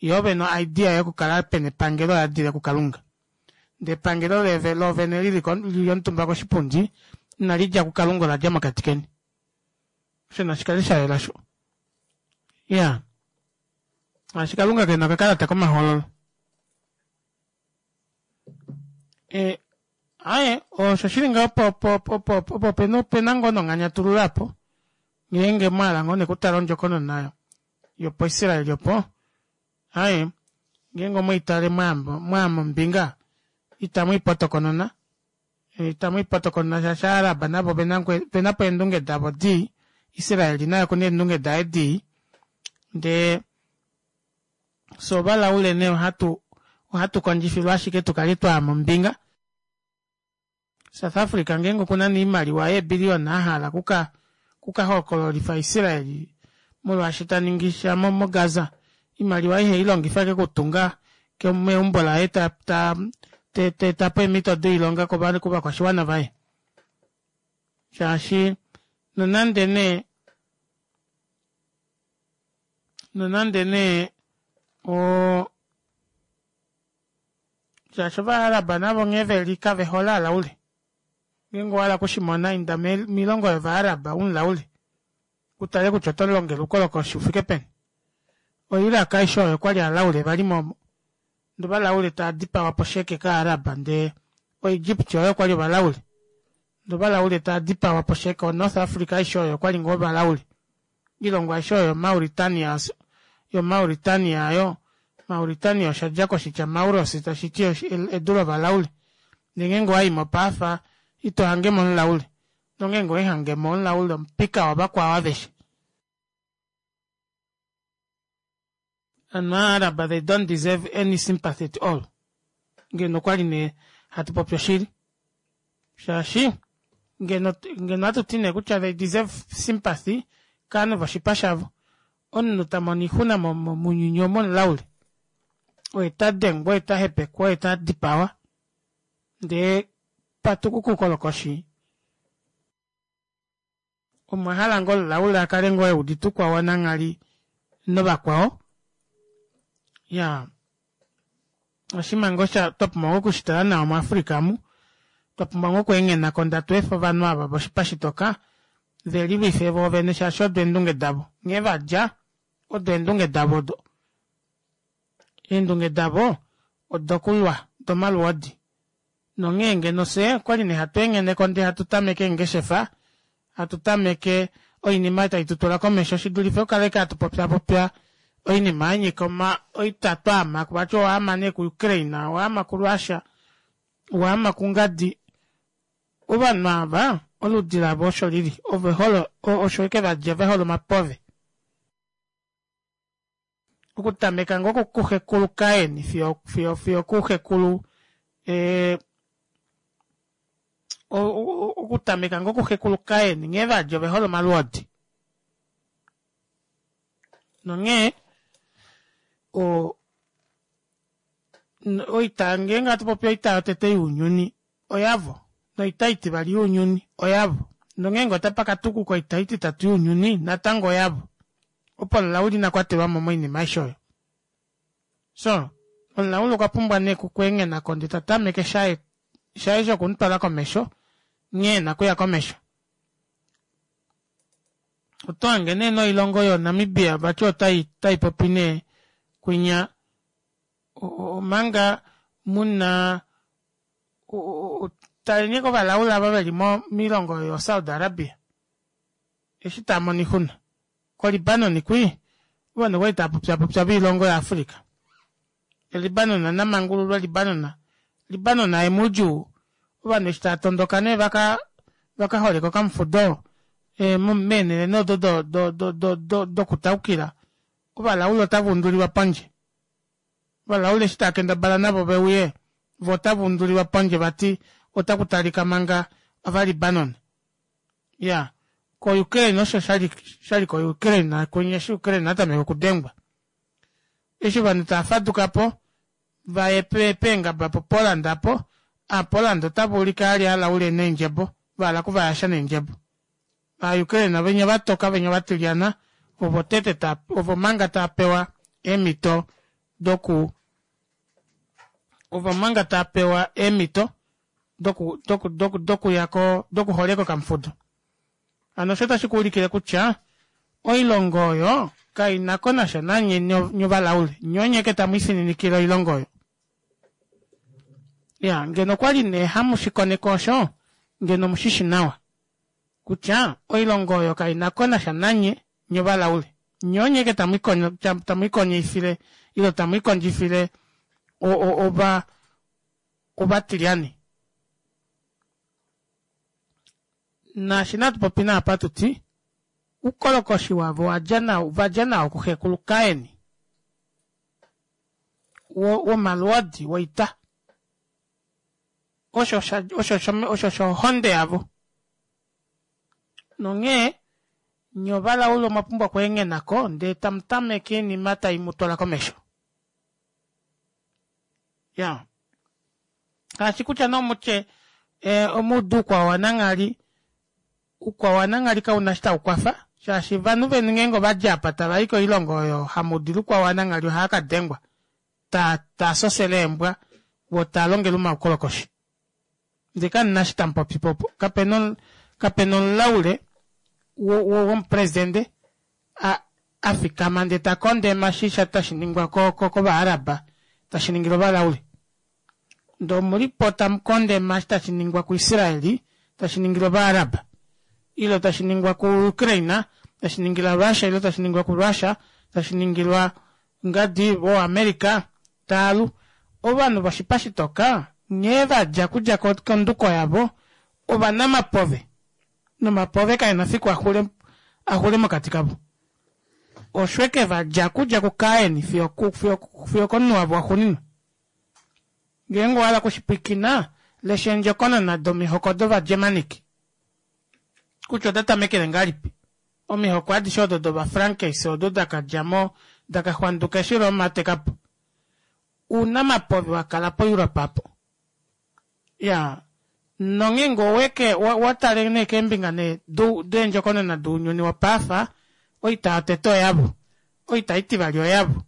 Ye ove no idea yokukala pena epangelo oya dile kuKalunga. Ndee epangelo leve lovene lili lili omutumba koshipundi inali dja kuKalunga ola dja mokati keni. Osho nashi kale sha yela sho. Ya. Shaashi Kalunga kena okakalata komahoololo. E, aye, osho shili ngaho opo opo opo opo pena opena ngoo nonganyatululo apo ngeenge mwahala ngoo nekutala ondjokonona nayo yopo Israel opo aye ngeenge omweitale mwaama ombinga itamu ipotokonona itamu ipotokonona shaashi Aaraba navo opena po eendunge davo dii, Israel naye okuna eendunge daye dii ndee fye ovalaule nee ohatu ohatu kondjifilwa ashike tukale twaama ombinga. South Africa ngeenge okuna nee oimaliwa yeebiliyona ahala kuka kuka hokololifa Israel molwaashi ta ningi sha moGaza, oimaliwa ihe ilongifa ashike okutunga meumbo laye ta ta ta eta po eemhito doilonga kovakwashiwana vaye. Shaashi nonande nee nonande nee o shaashi Ovaaraba navo nghee veli kave hole alaule. Ngeenge owa hala okushimona inda moilongo yOvaaraba umulaule utale kutya oto longele oukolokoshi ufike peni. OIraq aishe oyo okwali alaule vali mo ndee ovalaule tava dipawa po sheke kAaraba ndee oEgypt oyo okwali ovalaule ndee ovalaule tava dipawa po sheke oNorth Africa aishe oyo okwali ngoo ovalaule. Oilongo aishe oyo Mauritania yoMauritania oyo Mauritania osha dja koshitya Mauros tashi ti edu lovalaule. Ndee ngeenge owaimo paafa ito hangemo omulaule nongeenge owehangemo omulaule omupika wavakwao aveshe. Hano Aaraba they don't deserve any sympathy at all. Ngeno okwali nee hatu popi oshili. Shaashi ngeno ngeno ohatu ti nee kutya they deserve sympathy kaanhu voshipa shavo. Omunhu ta mono oixuna mounyuni omu omulaule. Oye ta dengwa, oye ta hepekwa, oye ta dipawa. Ndee patukuka oukolokoshi omwa hala ngoo omulaule a kale ngoo eudite oukwao wananghali novakwao? Ya, oshinima ngoo sha twa pumbwa ngoo okushitala nawa muAfrica amu, twa pumbwa ngoo okweenghenako ndatu efe ovanhu ava voshipa shitoka Ve lilwife voovene shaashi odo eendunge davo. Nghee vadja odo eendunge davo odo. Eendunge davo odokulwa domalwoodi. Nonghee ngeno fyee okwali nee hatu engheneko ndee hatu tameke eengeshefa, hatu tameke oinima tai tutula komesho shidulife okukala ashike hatu popyapopya oinima yanyika oma oita twaama vati owaama nee ku Ukraine, owaama ku Russia, owaama kungadi. Ovanhu ava oludi lavo osho lili, ovehole osho eke vadja vehole omapove. Okutameka ngoo kuxekulu Kain fiyo fiyo fiyo kuxekulu ee okutameka ngoo kuxekulu Kain nghee vadja ovehole omalwoodi. Nonghee o oita ngeenge hatu popi oita yotete younyuni oyavo, noita itivali younyuni oyavo, nongeenge otapa katukuka oita ititatu younyuni natango oyavo. Opo omulauli ina kwatelwamo moinima aishe oyo. So, omulauli okwa pumbwa nee okweenghenako ndee ta tameke shaye shaye shokumutwala komesho nghee ena okuya komesho. Oto hange nee noilongo yoNamibia vati otai otai popi nee kwinya omanga muna taleni kovalaula ava veli moilongo yoSaudi Arabia eshi tava mono oixuna. KoLibanon kwii ovanhu okwali tava popyapopya voilongo yaAfrica. Libanon namangululwe Libanon. Libanon aye moudjuu ovanhu eshi tava tondoka nee vaka vaka holeka okamufudo e, meenhele nee odo do do do do do dokutaukila ovalaula otava undulilwa pondje. Ovalaula eshi tava kendabala navo veuye vo otava undulilwa pondje vati otaku talika manga ovaLibanon. Ya ko Ukraine osho shali shali ko Ukraine kwinya eshi Ukraine atameka okudengwa. Eshi ovanhu tava faduka po vaye peengaba po Poland apo, a Poland otava ulike ali alaule neendjebo, vahala okuvayasha neendjebo. Va Ukraine venya vatoka venya vatilyana ovo tete ta ovo manga tava pewa eemhito doku ovo manga tava pewa eemhito doku doku doku dokuya ko dokuholeka okamufudo. Hano osho tashi kuulikile kutya oilongo oyo kaina ko nasha nanye nyovalaule, nye onye ke tamu ifininikile oilongo oyo. Ya ngeno okwali nee hamu shikoneko osho, ngeno mushishi nawa kutya oilongo oyo kaina ko nasha nanye nyovalaule, nye onye ke tamu ikondjifile ile tamu ikondjifile ova ovatilyani. Naashi natu popi naapa tuti ukolokoshi wavo wadja nao vadja nao kuxekulu Kain womalwoodi woita. Osho osho osho shohonde yavo. Nonghee nye ovalaule omwa pumbwa okweenghenako ndee tamu tameke oinima tai mu twala komesho. Ya ngaashi kutya nomutye e, omuudu ukwao wananghali ukwao wananghali kauna shi tau kwafa shaashi ovanhu veni ngeenge ovadja apa tava i koilongo oyo hamu dulu ukwao wananghali ohaa ka dengwa ta ta sosele eembwa vo taa longele omaukolokoshi. Ndee kamuna shi tamu popi popo. Kapena kapena omulaule womupresidente a afikama ndee ta kondema shisha tashi ningwa kovaaraba tashi ningilwa ovalaule. Ndee omulipo tamu kondema tashi ningwa kuIsraeli tashi ningilwa ovaaraba ile tashi ningwa kuUkraine tashi ningilwa Russia ile tashi ningwa kuRussia tashi ningilwa ngadi voAmerica taalu. Ovanhu voshipa shitoka nghee vadja kudja konduko yavo ovanamapove nomapove kaena fiku axule axule mokati kavo. Oshweke vadja kudja kuKain fiyo fiyo fiyo komunhu wavo waxuuninwa. Ngeenge owahala okushipwikina lesha eendjokonona domihoko dovaGermanic kutya oda tamekele ngahelipi. Omihoko adishe odo dOvafrankis odo dakadjamo dakaxwanduka eshi Roma atekapo. Ounamapove wakala po Europe apo. Ya nongeenge oweke watale nee keembinga nee deendjokonona dounyuni wopaafa oita yotete oyavo, oita itivali oyavo,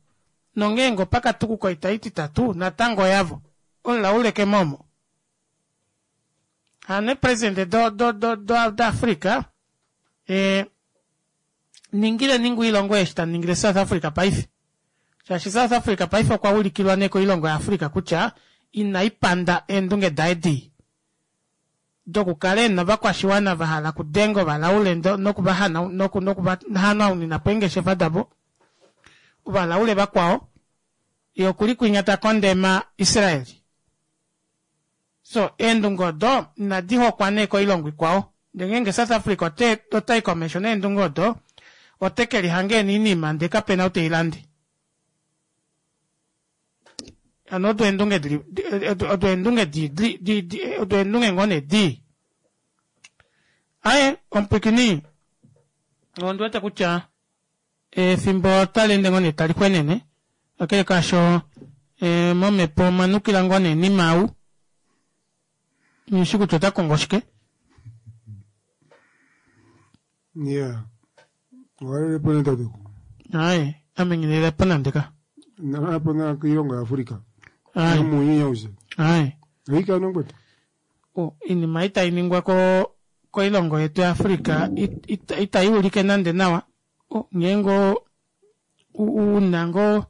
nongeenge opakatukuka oita ititatu natango oyavo. Omulaule kemo omo. Hano eepresidente do do do do daAfrica E, ningile ningu ilongo eshi ta ningile South Africa paife. Shaashi South Africa paife okwa ulikilwa nee koilongo yaAfrica kutya inaipanda eendunge daye dii. Dokukala ena ovakwashiwana va hala okudenga ovalaule nokuva noku eengeshefa davo. Ovalaule vakwao ye okuli kwinya ta kondema Israel. So eendunge odo inadi hokwa nee koilongo ikwao. Ndele ngeenge South Africa ote otai komesho neendunge odo ote ke lihange eniinima ndee kapena ou teilande. Hano odo eendunge dili odo eendunge di di di di odo eendunge ngoo nee dii. Aye omupwikini ondi wete kutya efimbo otali ende ngoo nee tali xwenene kakele kaasho e, momhepo omwa nukila ngoo nee nimau nghishi kutya ota kongo shike. Yeah. Owalelepo nee tate. Aye ame nghilelepo nande ka. Nalapo na koilongo yaAfrica. Aye. Nomuuyuni aushe. Aye. Oika nongwetu. O, iinima itai ningwa ko koilongo yetu yaAfrica it- it- itai ulike nande nawa. O, ngeenge o- u- una ngoo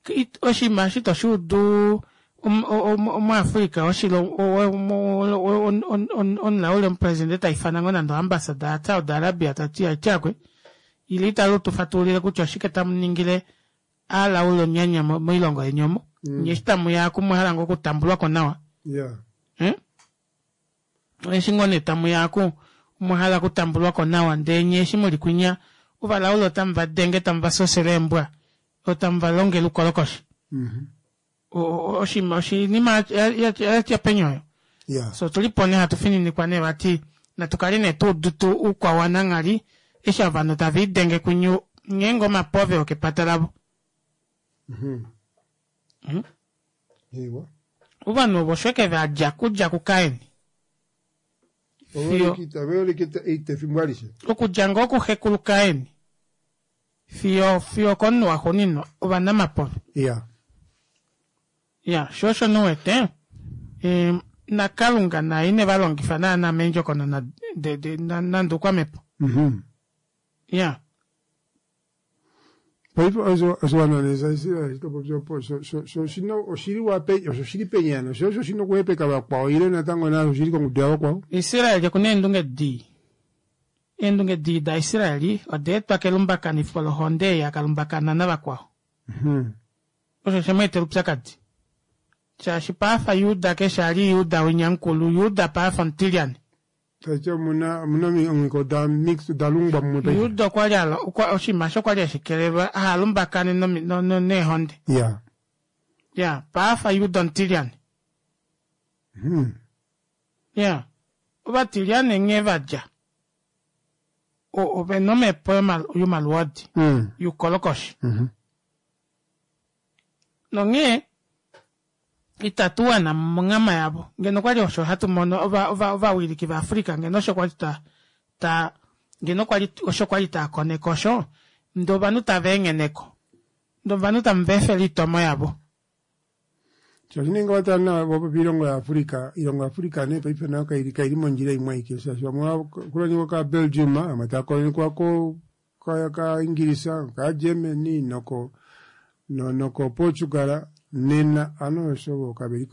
it- oshinima eshi toshuudu omuAfrica omulaule omupresidente taifana ngoo nande oambassador ya Saudi Arabia tati aityakwe ile itali tufatulile kutya oshike tamuningile alaule onyanya moilongo yeni omo. Nye eshi tamuya oku mwahala ngoo okutambulwako nawa. Yeah. Eh? Eshi ngoo nee tamuya oku mwahala okutambulwako nawa ndee nye eshi muli kwinya ovalaule otamu vadenge tamu vasosele eembwa otamu valongele oukolokoshi. Mhm. Oshinima oshinima yatya peni oyo. Yeah. So tulipo nee hatu fininikwa nee vati natukale nee tuudutu oukwao wananghali eshi ovanhu tava idenge kunyu ngeenge omapove okepata lavo. Mhm. Mm? Ewa. Ovanhu ovo osho eke vadja kudja kuKain. Fiyo Oveolekita eita efimbo alishe. okudja ngoo kuxekulu Kain fiyo fiyo komunhu waxuuninwa ovanamapove. Yeah. Ya, sho osho nuwete e, naKalunga naye ine va longifa naana meendjokonona de, de, na, nande oukwamepo. Mhm. Ya. Paife osho oshiwana nee shaIsrael shitopo sho oshili wape osho shili penyana sho osho shina okuhepeka vakwao ile natango nasho shili kongudu yavakwao. Israel okuna eendunge dii. Eendunge dii daIsrael oda etwa kelumbakanifo lohonde ei akalumbakana navakwao. Mhm. Osho she mu etela oupyakadi. Shaashi paafa Juda keshe ali Juda winya mukulu, Juda paafa omutilyane. Taiti omuna omuna omiko da mix da lungwa mumwe paife. Juda okwa li alo- okwa- oshinima osho kwali hashi kelelwa ahalumbakane nomi- no- no- neehonde. Yeah. Ya, paafa Juda omutilyane. Mhm. Ya. Ovatilyane nghee vadja. O- ovena omhepo yoma- yomaluodi. Mm. Youkolokoshi. Mhm. Nonghee itatu wana monghama yavo. Ngeno kwali osho hatu mono ova ova ovawiliki vaAfrica ngeno osho kwali ta ta ngeno kwali osho kwali ta koneka osho ndee ovanhu tava engheneko. Ndee ovanhu tamu va efele oitomo yavo. Shaashi nee ngee watala nawa vopopi oilongo yaAfrica, oilongo yaAfrica nee paife nayo kaili kaili mondjila imwe aike shaashi vamwe ovakolonyekwa kaBelgium, vamwe tava kolonyekwa ko ka kaIngilisa, kaGermany noko no noko Portugal nena ano osho vo kaveli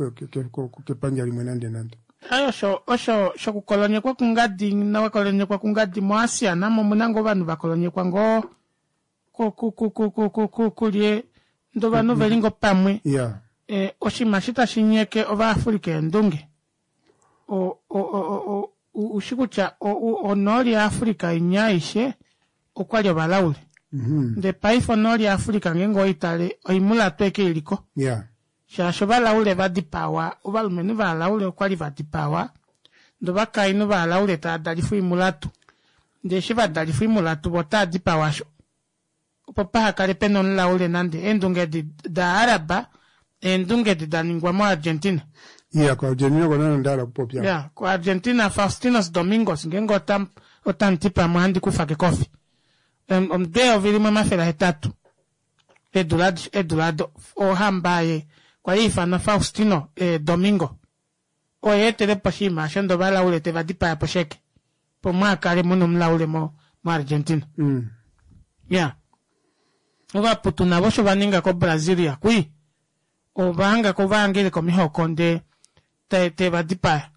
kepandja limwe nande nande. Aye osho osho shokukolonyekwa kungadi nawakolonyekwa kungadi moAsia namo omuna ngoo ovanhu vakolonyekwa ngoo ku ku ku ku ku ku ku kulye ndee ovanhu veli ngoo pamwe. Yeah. E, oshinima eshi tashi nyeke ovaAfrica eendunge. O o o o ushi kutya onooli yaAfrica inya aishe okwali ovalaule. Mhm. Ndee paife onooli yaAfrica ngeenge oitale oimulatu eke iliko. Yeah. Shaashi ovalaule vadipawa, ovalumenhu vaalaule okwali vadipawa, ndee ovakainhu vaalaule tava dalifa oimulatu. Ndee eshi vadalifa oimulatu vo otava dipawa asho. Opo pahakale pena omulaule nande eendunge edi daAraba, eendunge edi da ningwa moArgentina. Yeah, koArgentina kona onda hala okupopya. Ya, koArgentina Faustinos Domingos ngeenge ota otamuti pamwe ohandi kufa kekofi. Omudo eyovi limwe omafele ahetatu eedula eedula do ohamba ye kwali ifanwa Faustino eh, Domingo. Oye etelepo oshinima osho ndee ovalaule teva dipaya po sheke. Po mwaakale muna omulaule mo moArgentina. Mm. Ya. Ovaputu navo osho va ninga koBrasilia kwi. Ova hanga ko vahangele komihoko ndee te, te va dipaya.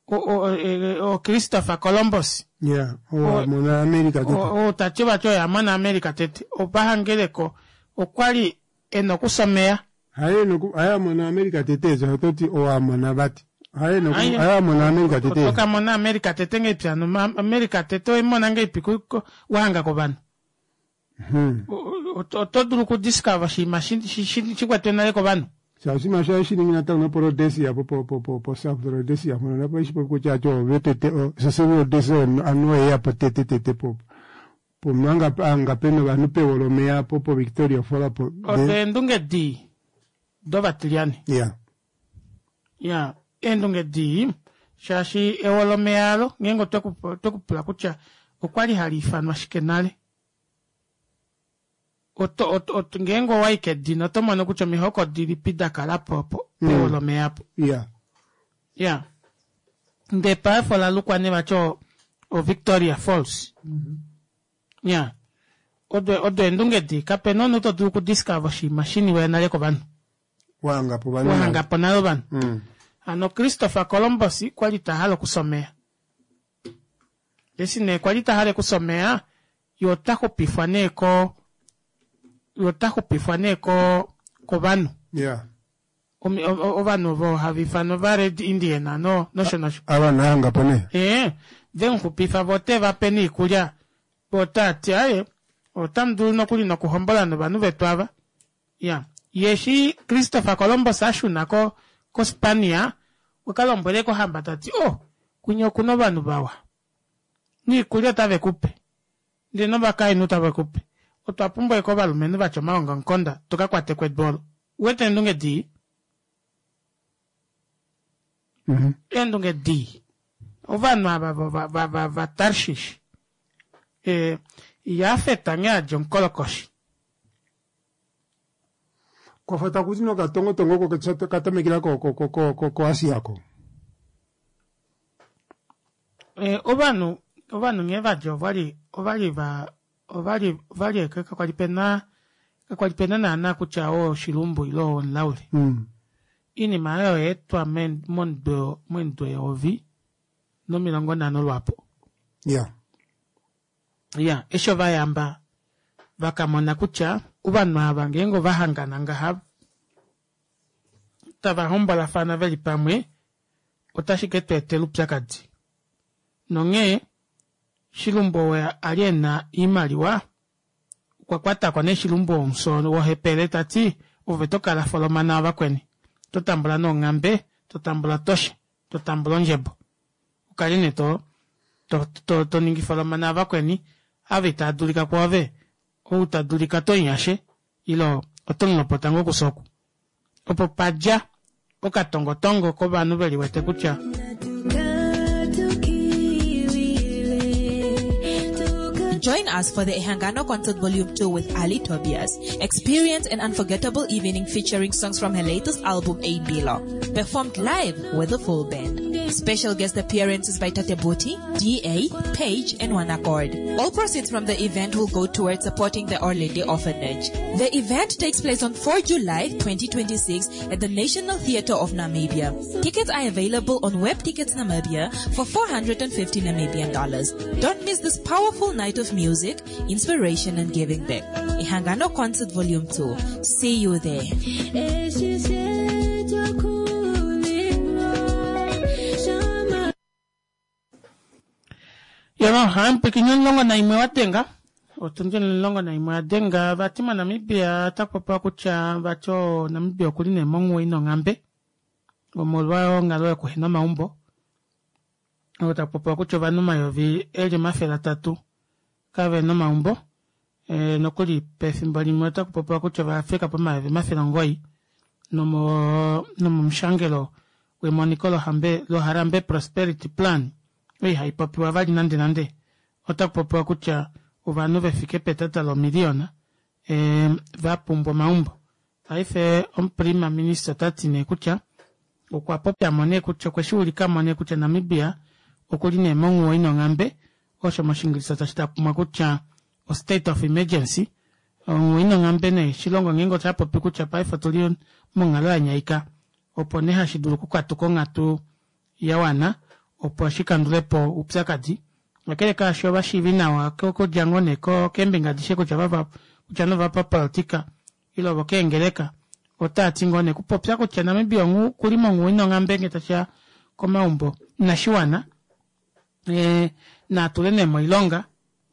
O, o, e, o Christopher Columbus Yeah, oo a mona America tete. o, o tati vati oye a mona America tete. Ova hangeleko okwali e na okusomeya. Haye noku haye a mona America tete so ototi oo a mona vati. Haye noku Haye- haye a mona America tete. Otoka mona America tete ngeipi hano Ma- America tete oimona ngeipi ku- ku- wahanga kovanhu. Hmm. O- o- Oto dulu okudiscover oshinima shi- shi- shi- shikwetwe nale kovanhu. Shaashi masha shiningi natango nopo Rhodesia po po po po po South Rhodesia mpono napo eshi popi kutya ati ove tete o Cecil Rhodesia anu oye po tete tete po po manga anga pena ovanhu pewolomeya po po Victoria Fall po. Odo eendunge dii dovatilyane. Yeah. Ya, eendunge dii shaashi ewolomeya alo ngeenge otweku otwekupula kutya okwali hali ifanwa shike nale. Oto, oto, oto, ngeenge owayi kedina oto mono kutya omihoko dilipi da kala po po Mm. pewolomeya apo. Yeah. Ya. Ndee paife ola lukwa nee vati o, o Victoria Falls. Ya. Odo odo eendunge dii kapena omunhu to dulu okudiscover oshinima shiniwe nale kovanhu. Wahanga po vanhu. Wahanga po nale ovanhu. Mm. Hano Christopher Columbus kwali tahala okusomeya. Eshi nee kwali tahala okusomeya, ye ota xupifwa nee ko ye ota xupifwa nee ko kovanhu. Yeah. Omi- o- o- Ovanhu ovo hava ifanwa ova Red Indian no nosho nosho. Ava nahanga po nee. Ee, vemuxupifa vo ote va pe niikulya. Vo otava ti aye, otamu dulu nokuli nokuhombola novanhu vetu ava. Ya. Ye eshi Christopher Columbus a shuna ko koSpania, okwa lombwele kohamba tati, oh, kwinya okuna ovanhu vawa. Niikulya otave ku pe. Ndele novakainhu tave ku pe. Otwa pumbwa eko ovalumenhu vatya omaongamukonda tuka kwate kwedu olo. Uwete eendunge dii? Mhm. Eendunge dii. Ovanhu ava va- va- va- va- va Tarshish. Eh, Jafet nghee adja omukolokoshi. Kwafa takuti nokatongotongo ko katamekela ko ko ko ko ko ko Asia ko. Eh, ovanhu ovanhu nghee vadja ovali ovali va ovali ovali eke kakwali pena kakwali pena naana kutya oo oshilumbu ile oo omulaule. Mm. Iinima oyo oya etwa men- momudwe momudwe yeyovi nomilongo nhano lwapo. Yeah. Ya, eshi ovayamba vakamona kutya ovanhu ava ngeenge ovahangana ngaha tava hombolafana veli pamwe otashi ke tu etela oupyakadi. Nonghee Shilumbu oo ali ena oimaliwa okwa kwatako nee Shilumbu womuso wohepele tati ove tokala folomana vakweni. To tambula noonghambe, to tambula toshe, to tambula ondjebo. Ukale nee to to, to, to ningi folomana vakweni ava itava dulika kwoove ou ta dulika to nyashe ilo oto mulopota ngoo kusoku. Opo padja okatongotongo kovanhu veli wete kutya Join us for the Ehangano Concert Volume two with Ali Tobias. Experience an unforgettable evening featuring songs from her latest album, A Bilo, performed live with the full band. Special guest appearances by Tate Boti, D A, Page, and One Accord. All proceeds from the event will go towards supporting the Orlady Orphanage. The event takes place on fourth July twenty twenty-six at the National Theatre of Namibia. Tickets are available on Web Tickets Namibia for four hundred and fifty Namibian dollars. Don't miss this powerful night of music, inspiration, and giving back. Ehangano Concert Volume two. See you there. Yama, hampwikinye omulongo naimwe wadenga otundi omulongo naimwe wadenga vati moNamibia otakupopiwa kutya vati o Namibia okuli nee monghuwo ina onghambe omolwa onghalo yokuhena omaumbo. Otakupopiwa kutya ovanhu omayovi eli omafele atatu kavena omaumbo. E, nokuli pefimbo limwe otakupopiwa kutya ovafika pomayovi omafele omugoyi nomo nomomushangelo wemoniko lohambe loHarambe Prosperity Plan oyo ihaipopiwa vali nande nande otakupopiwa kutya ovanhu vefike petata lomiliyona e, vapumbwa omaumbo. Paife omuprima minister otati nee kutya okwa popyamo nee kutya okwe shi ulikamo nee kutya Namibia okuli nee monghuwo ina onghambe osho moshingilisa tashi takumwa kutya o state of emergency. Onghuwo ina onghambe nee oshilongo ngeenge oshapopi kutya paife otuli monghalo yanyaika opo nee hashi dulu okukatuka onghatu yawana opo shikandulepo oupyakadi. Kakele kaasho ovashiivi nawa okudja ngoo nee keembinga adishe kutya kutya nee ovapapolitika ile ovokeengeleka otaati ngoo nee okupopya kutya Namibia okuli monghuwo ina onghambe ngee tashiya komaumbo inashiwana ee naatule nee moilonga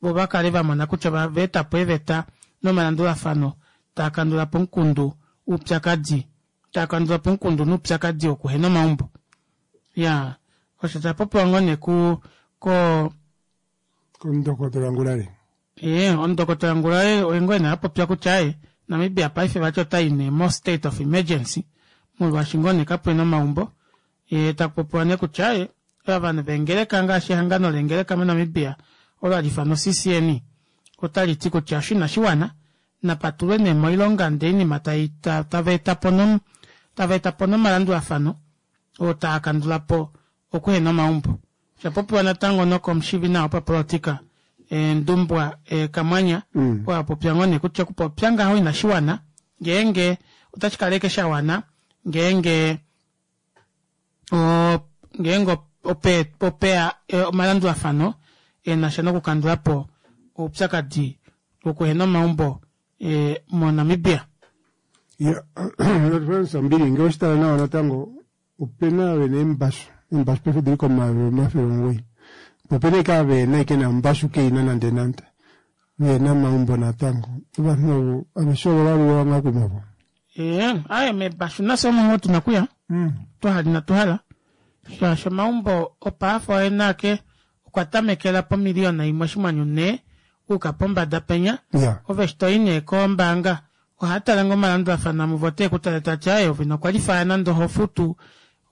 voo vakale vamona kutya ovaetapo eeveta nomalandulafano taakandulapo omukundu oupyakadi taakandulapo omukundu noupyakadi wokuhena omaumbo. Iyaa osho oshapopiwa ngoo nee ku ko Komundokotola Ngurare. Ee omundokotola Ngurare oye ngoo nee apopya kutya aaye Namibia paife vati otayi nee mo state of emergency molwaashi ngoo nee kapena omaumbo yee takupopiwa nee kutya aaye ovanhu veengeleka ngaashi ehangano leengeleka mo Namibia olo hali ifanwa C C N otaliti kutya osho inashiwana napatulwe nee moilonga ndee oinima tavaetapo tavaetapo nomalandulafano oo taakandulapo okuhena omaumbo. Oshapopiwa natango nokomushiivinawa wopapolitika Ndumbwa Kamwanyah oo apopya ngoo nee kutya okupopya ngaho inashiwana ngeenge otashikala ashike shawana ngeenge ngeenge opeya omalandulafano enasha nokukandulapo oupyakadi wokuhena omaumbo mo Namibia. Ya Frans Ambili ngee oweshitala nawa natango opena vena eembashu eembashu paife odili komayovi omafele omugoyi po opena ashike ava vehena ashike nombashu keina nande nande vehena omaumbo natango ovanhu ovo aveshe ovo ovaluwa ngaa kumwe ovo. Ee aaye meebashu nafye omo ngoo tuna okuya twahala inatu hala shaashi omaumbo opaafa oena ake okwa tamekela pomiliyona imwe oshinghwanyu nhee okuuka pombada penya ove eshi toyi nee kombaanga ohaatale ngoo omalandulafano amwe voo oteekutale tati aaye ove ino kwalifaya nande ohofutu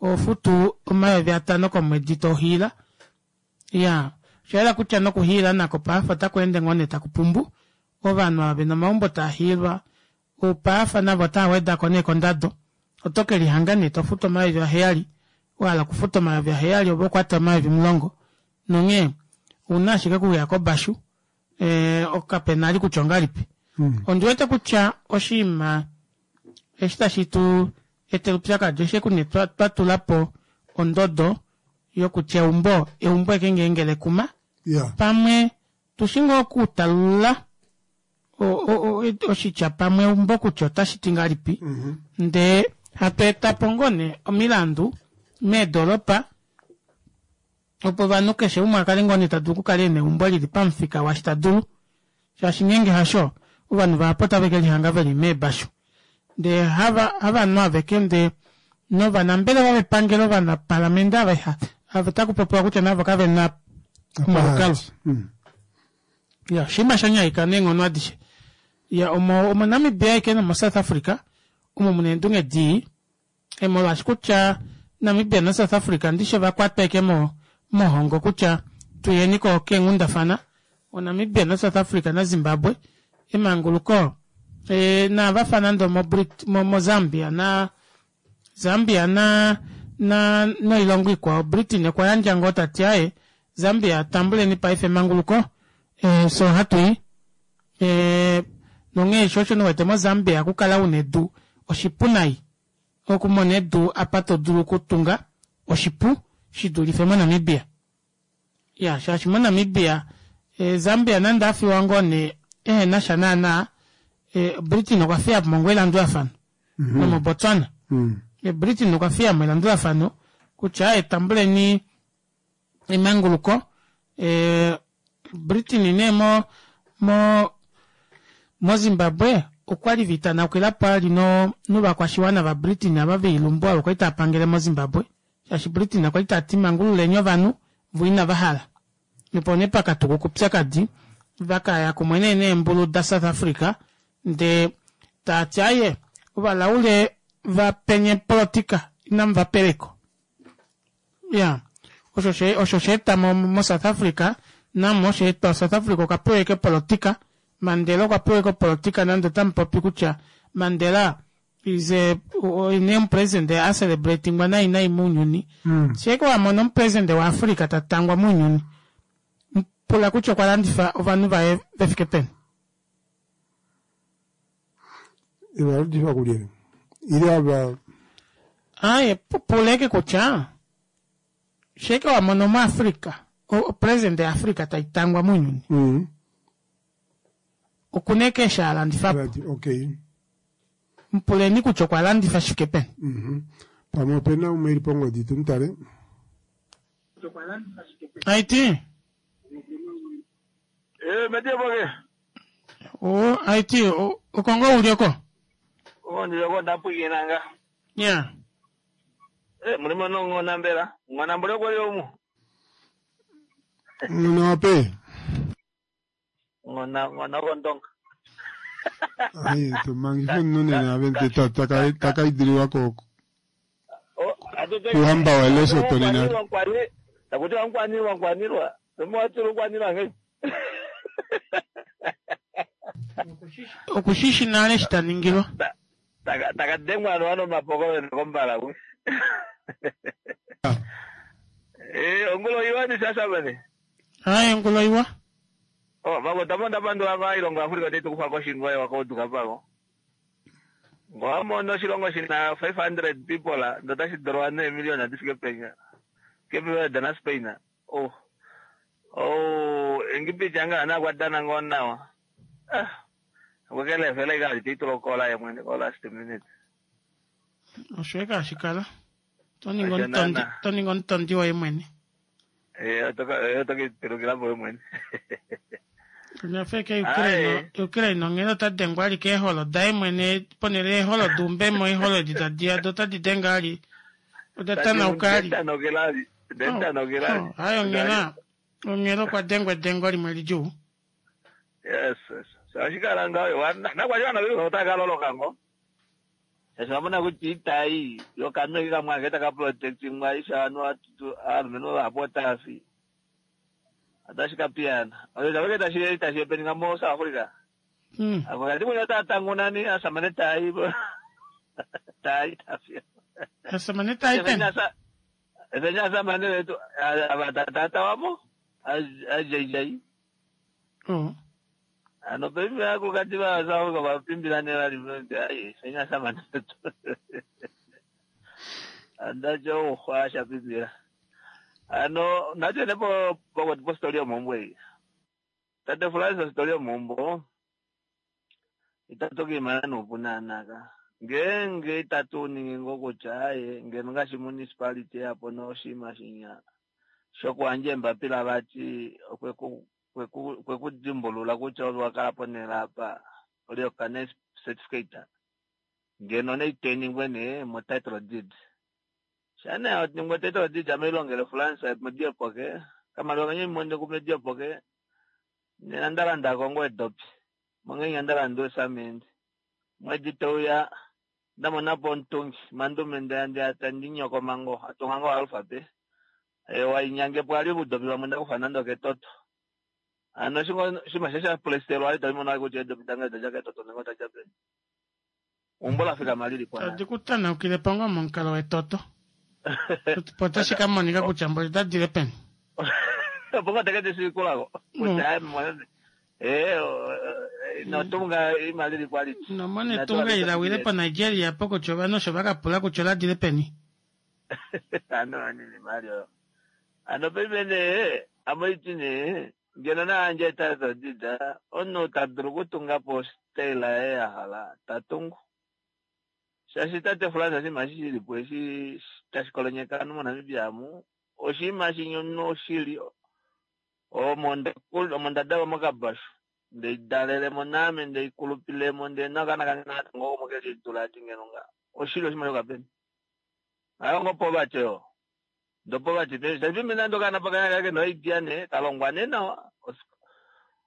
ohofutu omayovi atano komwedi tohiila. Iyaa oshayela kutya nokuhiila nako paife otakweende ngoo nee takupumbu ovanhu ava vena omaumbo taahiilwa paife navo otaawedako nee kondado oto kelihanga nee tofutu omayovi aheyali wahala okufuta omayovi aheyali ove okwati omayovi omulongo nonghee ouna ashike okuya kobashu ee kapena vali kutya ongahelipi. Ondiwete kutya oshinima eshi tashi tu etele oupyakadi osheshi nee twatulapo ondodo yokutya eumbo eumbo ashike ngeenge lekuma pamwe tushi ngoo okutalulula oshitya pamwe eumbo kutya otashiti ngahelipi ndee hatu etapo ngoo nee omilandu meedoropa opo ovanhu keshe umwe akale ngoo nee tadulu okukala ena eumbo lili pamufika waashi tadulu shaashi ngeenge hasho ovanhu vahapu otave kelihanga veli meebashu ndee hava havanhu aveke ndee novanambelewa vepangelo ovanapalamente ava ava otakupopiwa kutya navo kavena omalukalwa. Ya oshinima shanyaika neenghono adishe. Ya omo omo Namibia aike nomo South Africa omo muna eendunge dii molwaashi kutya Namibia na South Africa ndishe ovakwatwa ashike mohongo kutya tuyeni ko keenghundafana o Namibia na South Africa na Zimbabwe emanguluko e, naavafa nande omo Brit, mo, mo Zambia na Zambia na na noilongo ikwao Britain okwa yandja ngoo tati aaye Zambia tambuleni paife emanguluko e, so hatui e, nonghee sho osho niwete mo Zambia okukala una edu oshipu nai okumona edu apa todulu okutunga oshipu shidulife mo Namibia. Ya shaashi mo Namibia e, Zambia nande afiwa ngoo nee ehenasha naana e, Britain okwa fiyapo ngoo elandulafano mm -hmm. nomo Botswana mm. e, Britain okwa fiyamo elandulafano kutya etambuleni emanguluko e, Britain nee mo mo moZimbabwe okwali vitanaukila ali no novakwashiwana va Britain ava veilumbu avo kwali taapangele moZimbabwe shaashi Britain okwali tati mangululeni ovanhu vo inava hala opo nee pakatukuka oupyakadi vakaya kumwe nee neembulu da South Africa ndee taati aaye ovalaule vapenye politika inamu vapeleko. Ya osho osho sheeta mo, mo South Africa namo osheetwa South Africa okwa pewa ashike politika Mandela okwa pewa ashike opolitika nande otamupopi kutya Mandela Is a ne omupresidente a celebratingwa nai nai mounyuni. Mm. Sheeke wa mona omupresidente waAfrica ta tangwa mounyuni. Pula kutya okwa landifa ovanhu vaye ve fike peni. Evalandifa kulye? Ile ava Aye, puleke kutya sheeke wa mona omuAfrica, opresidente yaAfrica tai tangwa mounyuni. Mm. Okuna eke eshi a landifa po. Okay. Mpuleni kutya okwa landifa shi fike peni. Mhm. Pamwe opena umwe eli pongodi tumutale. Aiti? Eh, metie boke. O, aiti, okongo uli oko? O, ndi oko ndapwikinanga. Yeah. Eh, mulimo nong'ona mbela. Ng'ona mbule kweli omu. Ng'ona wape? Ng'ona, ng'ona okondonga. Ai, tumangife omunhu nena ave takaidiliwa ko kuhamba wa Lesotho nena. Takuti mkwanilwa mkwanilwa. Tumwatulu mkwanilwa nge. Okushishi nale eshi ta ningilwa. Takadengwa ano mapoko wenu kombala ku. Eh, ongulo iwa ni sasa bane. Ai, ongulo iwa. Oh, babo tamo ndapandula va ilongo Afrika tetu kufa koshingo wa koduka pako. Ngwamo oshilongo shina five hundred people ndotashi dolwa ne million adifike penya. Kepe dana Spain. Oh. Oh, engipicha nga na kwadana ngonawa. Ah. Kwekele vele ka titulo kola ye mwene ko last minute. Osho eka shikala. Toningo ntondi, toningo ntondi woye mwene. Eh, otoka otoka tirukila boye mwene. Nafeke Ukraine, Ukraine onghee ota dengwa ali keeholo daye mwene ponele eeholo dumbemo eeholo edi tadi ya do tadi denga ali. Oda tanauka ali. Hayi onghela onghela okwa dengwa edengo limwe lidjuu. Yes, yes. Ashikala ngayo nakwashiwana vili otakaloloka ngo. Shasha kuti itai yokanwe kamwe taka protect mwa isha anu atu alumenhu vahapu otafi. Atashikapiyana. Oyo taveke tashi tashi peninga mo South Africa. Mm. Akati munya tatangunani asamane tai. Tai tafi. Asamane tai pen. Efenya asamane wetu avatata wamo ajai. Oh. Ano pembe ako kati ba South Africa vapimbirane vari ai efenya asamane wetu. Andacho ukhwasha pimbira. Ano nacho nepo poko po story mombo iyi. Tate Francis story mombo. Itatoki mana nopunanaka. Ngenge itatu ningi ngokutya aye ngeno ngaashi municipality yapo noshima shinya. Shokuandja embapila vati okweku kweku kwekudimbulula kutya ove wakala ponela apa olioka ne certificate. Ngeno neiteningwe ne mo title deed. Shana otiningwe title deed ameilongele France modiepoke kamaliwa kanye monde kumediepoke nena ndalanda kongo edopi mongenya ndalanda esamende mwedi teuya ndamonapo omutungi mandume ndeya ndinyoko mango atunga ngo alphabet e wainyangepo ali obudopi bamwe ndakufa nando ketoto ano shingo shima shesha plestelwa ali talimona kuti edopi tanga taja ketoto nengo taja peni umbola fika malili kwa Tadi kutanaukile pongo momukalo wetoto. Potashi ka monika kutya mboli tadile peni. Pongo tekete sikulako kutya eh notunga imalili kwaliti. Nomone tunga ilawile po Nigeria po kutya ovanhu osho vakapula kutya oladile peni. Ano anini mali oyo. Ano pemene amoiti ne ngeno naandja title deed omunhu ta dulu okutunga po style yaye ya hala tatungu. Shaashi tate France oshinima eshi shilipo eshi tashi kolonyeka ovanhu moNamibia amu oshinima shinyi omunhu oshili omo ndadalwa mokabashu ndeidalelemo naame ndeikulupilemo ndee nakana kange natango omo kelidula ati ngeno nga oshili oshinima shokapeni. Ayo ngo poverty oyo. Ndo poverty pe shaashi nando kana pakanya kake no idea ne kalongwa ne nawa.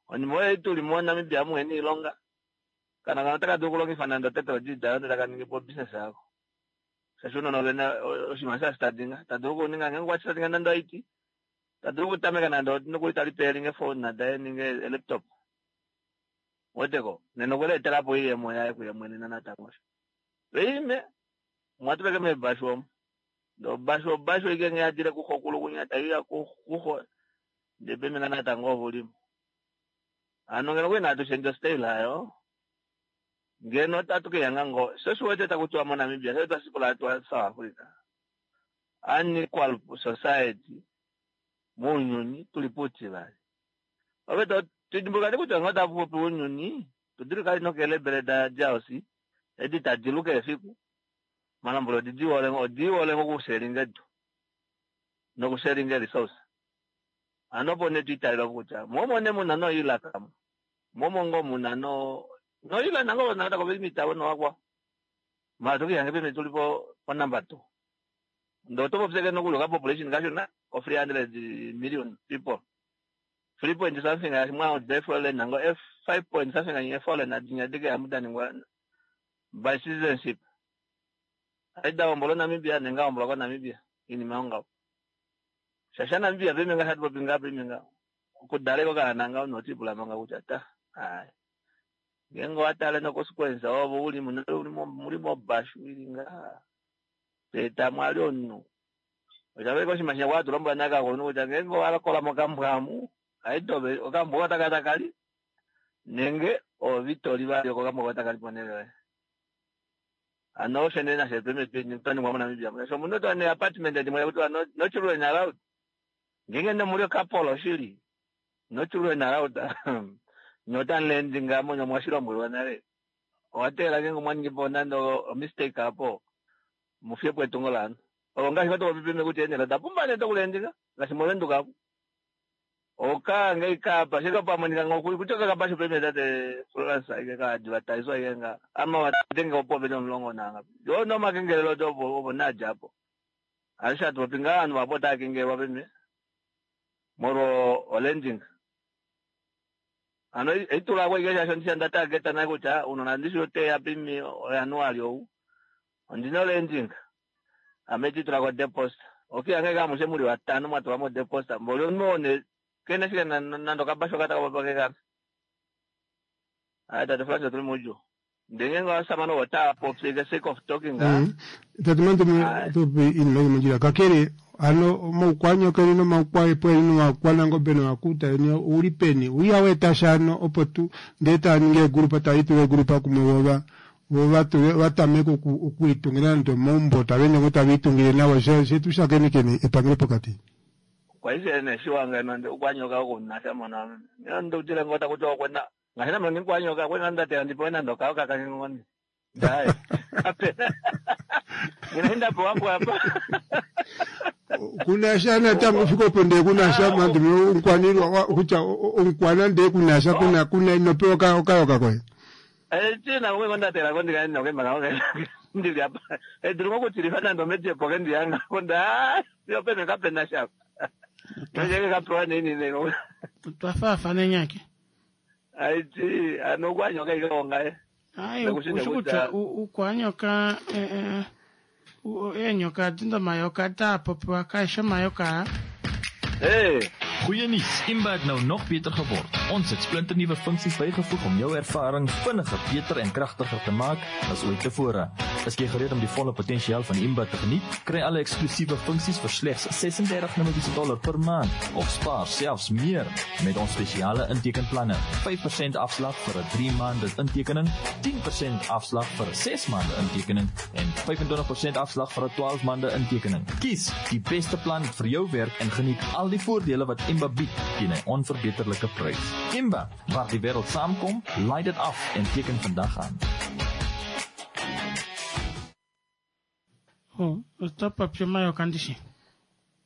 Onima oyo ituli moNamibia muhena iilonga. Kana kana otaka dulu okulongifa nande title deed ayo ndele taka ningi po business yako. Shaashi unona ovena oshinima shasitadinga tadulu okuninga ngenge okwashitadinga nande I T. Tadulu okutameka nande nokuli talipeelinga efone nadaye ninge laptop. Weteko nena okweleetelapo iiyemo yaye kuye mwene natango osho. Peime mwatuleke meebashu omo. Ndee obashu obashu ike ngee yadile kuxokulu kunya taiya kuxo ndee peme nga natango ove ulimo. Hano ngeno okuli natu shendje ostyle ayo ngeno otatu keyanga ngoo sho oshiwete taku tiwa moNamibia sho twa twa South Africa unequal society mounyuni tuli puutivali. Ove to tudimbuluka nee kutya ngee otapu popi ounyuni tudulika nokeelebele da D R C edi tadi lu keshe efiku malambula odi dihole odi hole okusharinga edu nokusharinga resource. Hano opo nee twiitalelwa kutya momo nee muna noilaka mo momo ngoo muna no noila nango natango veli nowakwa mara tokihange peme tuli po po number two. Ndee oto popyeke nokuli oka population kashona ko three hundred million people three point something mwa foreign nango five point something nye foreign dinya dike amu daningwa by citizenship aida ombolo Namibia nenga ombolo ko Namibia inima ongaho shasha Namibia peme nga hatu popi nga peme nga okudaleko kana notipula manga kutya ta ai ngeenge owatale noconsequence ovo uli muli mobashu ili nga teta mwali omunhu oshaveleka oshinima shinya kwa tulombwela nakakulunhu kutya ngeenge owalokola mokambwa amu aitobe okambwa oko takali nenge ovitoli vali oko okambwa oko takali ponele yoye. Hano osho nee nasho peme twaningwa moNamibia shaashi omunhu otwa ne apartment dimwe kutiwa no, no children allowed ngeenge nemuli okapolo shili no children allowed nye otamu lendinga monye mwashilombwelwa nale owateelela ngeenge omwa po nande omistake apo mufyepo etungo laanhu olo ngaashi vatopopi peme kutya eenele oda pumba nee dokulendinga ngaashi movenduka apo oka ngei kapa shike pamonika ngo kutya kakapashu peme tate Florence ike ka advertise ike nga ama watenge opo pene omulongo nanga yo no makengelelo to opo opo nadja apo alisha tupopi ngaa ovanhu vapo otava kengelelwa peme molwo olending. Hano eitulako ike shaashi ondisha nda targeta naye kutya unona ndishi oteya pimi ojanuali ou ondina olending ame titulako deposit okiyange kamushe muli vatano mwatulamo deposit mboli omunhu oo ne kene shike nande okabashu okataka kekana ayi tate Florence otuli muudjuu ndee ngeenge ovashamane ovo otava popi the sake of talking. Tate Mandume topopi iinima ili mondjila kakele hano omaukwanyoko eni nomaukwaepwa eni nomakwanangobe nomakuta eni ouli peni uiha weeta sha hano opo tu ndee taaningi eegrupa talitula eegrupa kumwe vova vo vatule vatameke okwiitungila nande omaumbo tavaende ngo taviitungile nawa shetu shakenekene epangelo pokati. Kwaishe ne shiwanga nande ukwanyoka okunasha mona ndoutile ngota kuti okwena ngaashi name ndikwanyoka kwena ndatela ndipewe nande okayoka kange ngoni dai kapena ngine ndapewa apa. Kunasha natango ufika opo ndee kunasha Mandume omukwanilwa kutya omukwana ndee kunasha kuna kuna inopewa okayoka koye. Tina kumwe ndatela ko ndikaenda kemaka ndili apa edulu ngokutilifa nande omedjepo ke ndiyanga konda yopene kapena shapa nojeke kapewa nini ne. Twafaafana nyake. Aiti ano ukwanyoka ike ayi usho kutya ukwanyoka eenyoka adi domayoka daapopiwa kaeshi omayoka. Hey. Goeie nuus, Imba het nou nog beter geword. Ons het splinternuwe funksies bygevoeg om jou ervaring vinniger, beter en kragtiger te maak as ooit tevore. Is jy gereed om die volle potensiaal van Imba te geniet? Kry alle eksklusiewe funksies vir slegs ses-en-dertig Namibiese dollar per maand of spaar selfs meer met ons spesiale intekenplanne. vyf persent afslag vir 'n drie maande intekening, tien persent afslag vir 'n ses maande intekening en vyf-en-twintig persent afslag vir 'n twaalf maande intekening. Kies die beste plan vir jou werk en geniet al die voordele wat Imba bied teen 'n onverbeterlike prys. Imba, waar die wêreld saamkom, laai dit af en teken vandag aan. Oh, oto popi omayoka ndishi?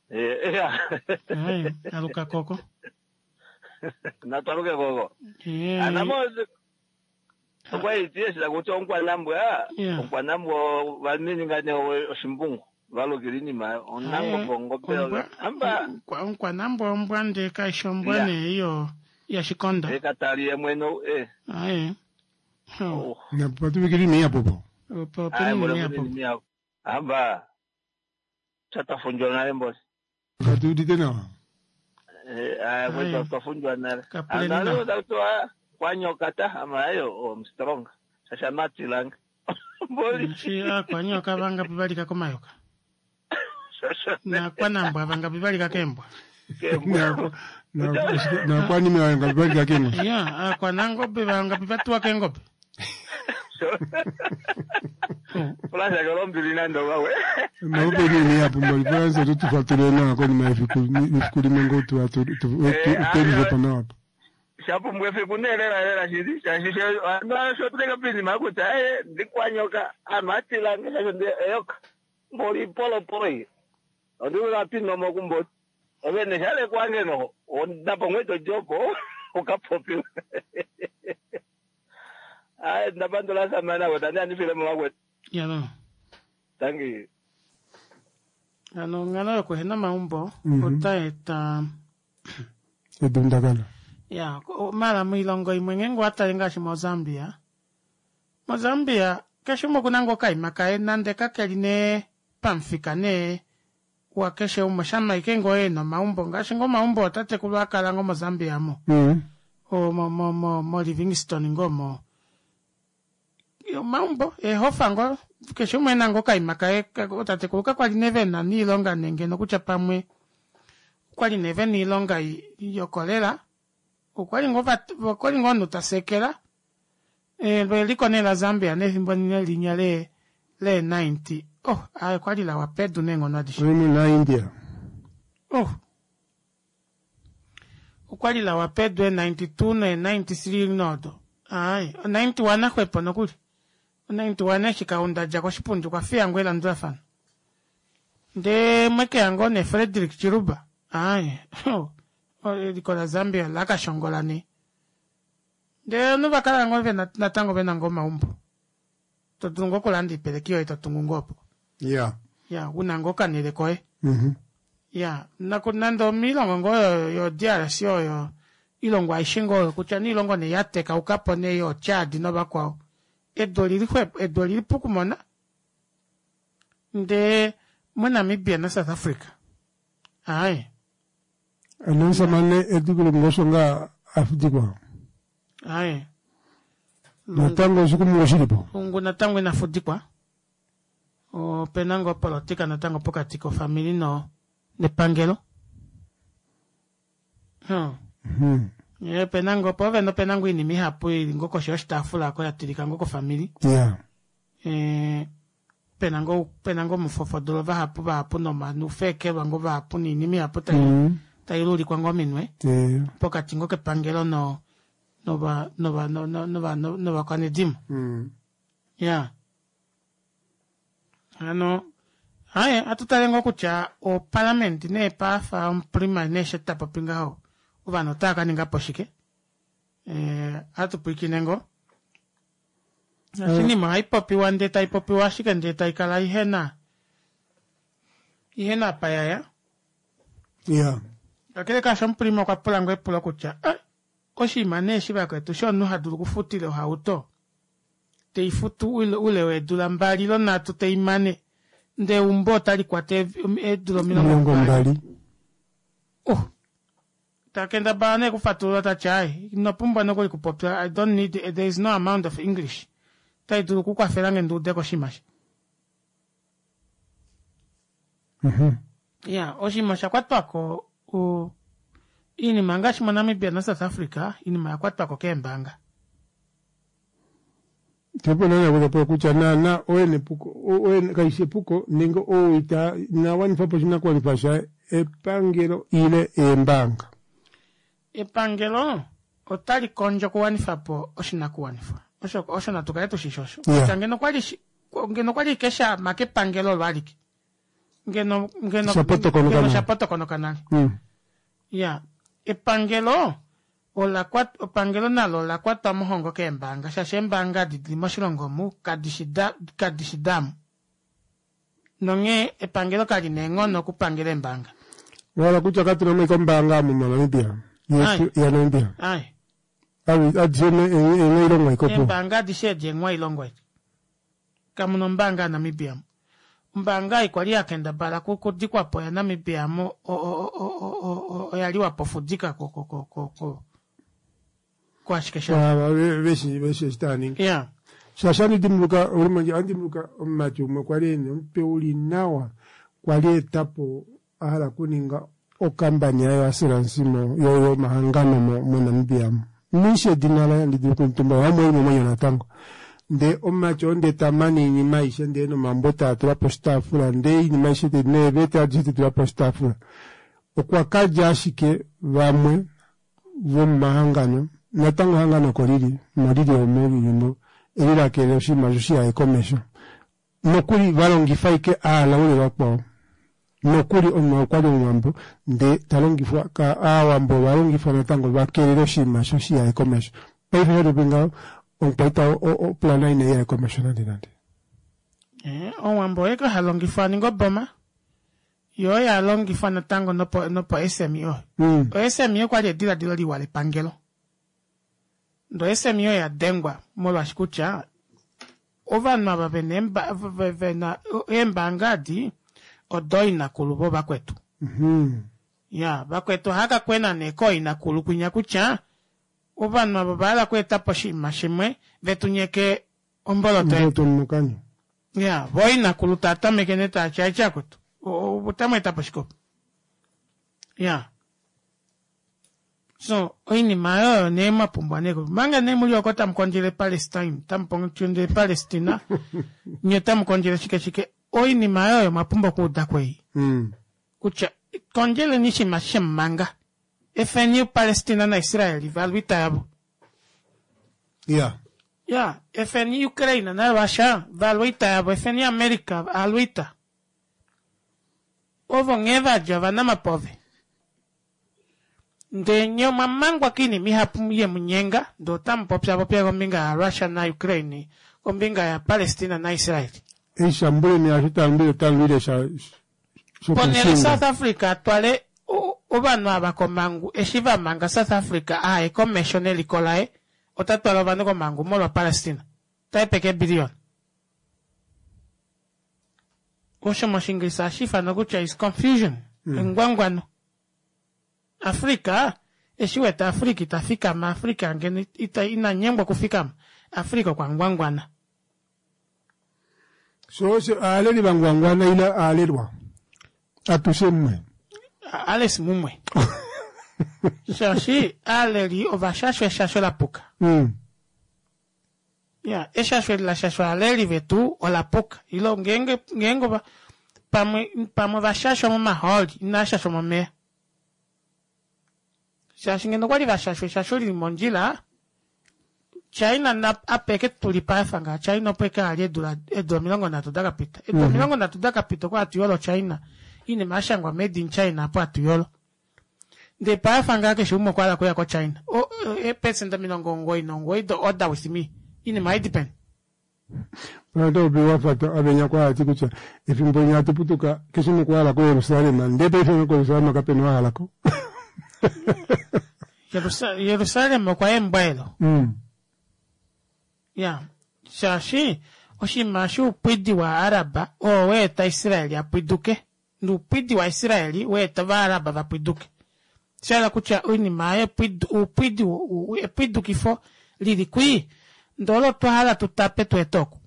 Eh, ja. Ai, aluka koko. Natwaluke koko. Eh. Anamo okwa itiye kutya onkwanambwa, onkwanambwa vamininga ne oshimbungu. Valukila iinima onangombe ongombe amba onkwanambwa ombwa ndee kaishi ombwa Ya. nee iyo yashikonda. Ekatali ye mwene eh. Aye. Oh. Napatuvikili miya popo. Opo Aye, peni mbole miya peni popo. miya. Amba tatafunjwa nale mbosi. Katuudite nawa. Eh, aye Aye. twafunjwa nale. Kapuleni Analo nawa. takutoa kwanyoka ta ama ayo oh, I'm strong. Shasha matilanga. Shi aakwanyoka vangapi valika komayoka naakwanambwa vangapi valika keembwa Nakwanime vangapi valika keenghoshi. Ya, aakwanangobe vangapi vatuwa keengobe. Fulansa kolombili nando wawe. Malupe nini hapo mbali Fulansa tutufuatilie nawa konima yefiku efiku limwe ngo tu tu tu nawa hapo. Shapumbwa efiku nee lela lela shili shaashi sho tuleka pinima kutya eh ndikwanyoka anhu atilange shasho ndi eyoka mboli polopolo iyi ondiula pinomo kumboti ovene shalekwange noho ndapomwe tojopo ukapopiwe. Ayi ndapandula samana weta ndandifile mumakwetu. Yano. Thank you. Ano onghalo yokuhena omaumbo Mhm. otai eta Edundakano. ya mala moilongo imwe ngeenge owatale ngaashi mozambia mozambia keshe umwe okuna ngoo okaima kaye nande kakeli nee pamufika nee wakeshe umwe shama ike ngoo ena omaumbo ngaashi ngoo omaumbo otatekulu akala ngoo mozambia mo Mm. o mo mo mo mo Livingstone ngoo mo omaumbo eehofa ngoo keshe umwe ena ngoo okaima kaye ka- otatekulu kakwali nee vena niilonga nee ngeno kutya pamwe okwali nee vena iilonga i- yokolela okwali ngoo vat- okwali ngoo omunhu tasekela Eh, lo eliko nee la Zambia nefimbo nine linya le le ninety oh ayi okwali lawa pedu neenghono adishe Oimwe na India. oh okwali lawa pedu e ninety two ne ninety three nodo ayi o ninety one axwepo nokuli o ninety one eshi kaunda dja koshipundi okwa fiya ngoo elandulafano ndee mwekeya ngoo ne Frederick Chiluba ayi eliko la Zambia lakashongola nee ndee ovanhu vakala ngoo vena natango vena ngoo omaumbo todulu ngoo okulanda oipeleki yoye totungu ngoo opo Yeah. ya una ngoo okanele koye Mhm. ya naku nande omiilongo ngoo yo- yo D R C oyo ilongo aishe ngoo oyo kutya niilongo nee yatekaukapo nee yo Chad novakwao edu olili xwepo edu olili pukumona ndee moNamibia naSouth Africa ayi Ano omusamane edikilo ngosho nga afudikwa. ayi Natango oshikumungu shilipo. Lungu natango ina fudikwa opena ngoo opolotika natango pokati kofamili no nepangelo hmm. Mhm. Ye, opena ngoo po vene opena ngoo oinima ihapu ili ngoo koshi yoshitaafula oko ya tilika ngoo kofamili Yeah. Eh, pena ngoo pena ngoo omufofodolo vahapu vahapu nomanufekelwa ngoo vahapu niinima ihapu tai Mm. tai lulikwa ngoo ominwe Eh. pokati ngoo kepangelo no nova nova no- no- nova no- novakwanedimo Mm. ya hano aye atutale ngoo kutya opalamende nee paafa omuprima nee she tapopi ngaho ovanhu otava kaningapo shike eh, atupwiikine ngoo oshinima ohaipopiwa ndee taipopiwa ashike ndee taikala ihena ihena apa yaya Yeah. kakele kaasho omuprima okwa pula ngoo epulo kutya "Eh, oshinima nee eshi vakwetu shomunhu hadulu okufutila ohauto teifutu ule ule weedula mbali lo nhatu teimane ndee eumbo otali kwata ev- eedula omilongo Omilongo mbali mbali. oh takendabala nee kufatulula tati ai ino pumbwa nokuli kupopya I don't need there is no amount of English tai dulu okukwafela nge ndiudeko oshinima shi Mhm. ya oshinima osha kwatwako u- iinima ngaashi moNamibia naSouth Africa iinima oya kwatwako keembaanga Tepo nana kuzapo kutya naana oye epuko oye kaishi epuko nenge oo ita inawanifa po oshinakugwanifwa shaye epangelo ile eembaanga. Epangelo otali kondjo okuwanifa po oshinakuwanifwa osho osho natu kale tushishi osho Yeah. kutya ngeno kwali shi- ngeno kwali keshama kepangelo olo alike ngeno ngeno Shapotokonoka ngeno nale. shapotokonoka nale Mm. ya epangelo ola kwat- epangelo nalo ola kwatwa mohongo keembaanga shaashi eembaanga adi dili moshilongo omu kadishi da- kadishi damu nonghee epangelo kali na eenghono okupangela eembaanga Wala kutya katuna mo ikombaanga omu moNamibia. Yetu ya Namibia. Ai. Awi adishe eng'ailongo ikopo. Eembaanga adishe edi eeng'wailongo edi kamuna ombaanga yaNamibia mu ombaanga ei kwali yakendabala ku- kudikwapo yaNamibia mo o- o- o- o- o- o- oya liwapo fudika ko- ko- ko- ko- ko- kwashike sha Veshi veshi eshi taaningi. Yeah. Shaashi andi dimbuluka olimanje andi dimbuluka omumati umwe kwali ena omutwe uli nawa kwali etapo a hala okuninga okambani yayo assurance mo yo yomahangano mo moNamibia nishi edina laye andi dulu okumutumbula vamwe eli momwenyo natango ndee omumati oo ndee tamane oinima aishe ndee nomambo taa tula poshitaafula ndee oinima aishe neeveta adishe tetula poshitaafula okwa kalya ashike vamwe vomomahangano natango ehangano oko lili molili omo lilimo elilakelele oshinima osho shiyaye komesho nokuli valongifa ashike aalaule vakwao nokuli omunhu okwali omuwambo ndee talongifwa aawambo ovalongifwa natango vakelele oshinima osho shiyaye komesho paife shatopi ngaho omukwaita opulana ina iyaye komesho nande nande. Omuwambo oye halongifwa aninga oboma yo yalongifwa natango nopo nopo S M E O. Mm. O S M E okwali ediladilo liwa lepangelo. Ndo S M E O yadengwa molwaashi kutya ovanhu ava vena vena eembaanga adi odo inakulu vo vakwetu. Mm-hmm. Ya, vakwetu ohaka kwena nee kooinakulu kwinya kutya ovanhu ava ovahala okweeta po oshinima shimwe vetu nyeke omboloto yetu. Ya, vo inakulu taa tameke nee taa tya etya kwetu. Otamu eta po shikopo. Ya. So, oinima oyo nee mwapumbwa nee. Manga nee muli oko tamu kondjele Palestine, tamu kondjele Palestina, nye tamu kondjele shike shike. Oinima oyo mwapumbwa okuuda kwei. Mm. Kutya kondjeleni oshinima shemumanga. Efeni Palestina na Israeli valwita yavo. Yeah. Yeah, efeni Ukraine na Russia valwita yavo, efeni America alwita. Ovo nghee vadja vanamapove. Ndee nye omwamangwa koinima ihapu yemunyenga, ndee otamu popya popya kombinga ya Russia na Ukraine, kombinga ya Palestina na Israel. Eishambuleni asho talwile talwile sha ponele South Africa twale ovanhu ava komangu eshi vamanga South Africa aye komesho neliko laye ota twala ovanhu komangu molwa Palestina. Taepeke billion. Osho moshinglisa hashi ifanwa kutya is confusion. Mm. Engwangwano. Afrika eshi wete Afrika ita fikama, Afrika ngeno ita ina nyengwa kufikama. Afrika okwa ngwangwana. So osho aaleli vangwangwana ila aalelwa. Atushe mumwe. Ales mumwe. Shaashi aaleli ovashashwa eshasho lapuka. Mm. Ya, eshasho eli lashashwa aaleli vetu olapuka. Ilo ngeenge ngeenge ova pamwe pamwe vashashwa momahooli inashashwa momeya. Shaashi ngeno okwali vashashwa eshasho lili mondjila, China na apeke tulipa afa China opo eke ali edula edula omilongo nhatu dakapita. Edula omilongo nhatu dakapita okwa atuyolo China. Inima yashangwa made in China apo atuyolo. Ndee paafa ngaa keshe umwe okwa hala okuya ko China. O eepesenda omilongo omugoyi nomugoyi do order with me. Inima haidi peni? Pano ope wafata avenya kwa ati kutya efimbo linya atuputuka keshe umwe okwa hala ko Jerusalem ndee paife ko Jerusalem kapena oo a halako. Jerusalem okwa embwaelo. Mm. Ya, shaashi oshinima shuupwidi waAraba oo weeta Israeli a pwiduke. Nuupwidi waIsraeli weeta Ovaaraba va pwiduke. Sha hala kutya oinima yepwidu, uupwidi, epwidukifo lili kwii, ndee olo twa hala tu tape tu ete oku.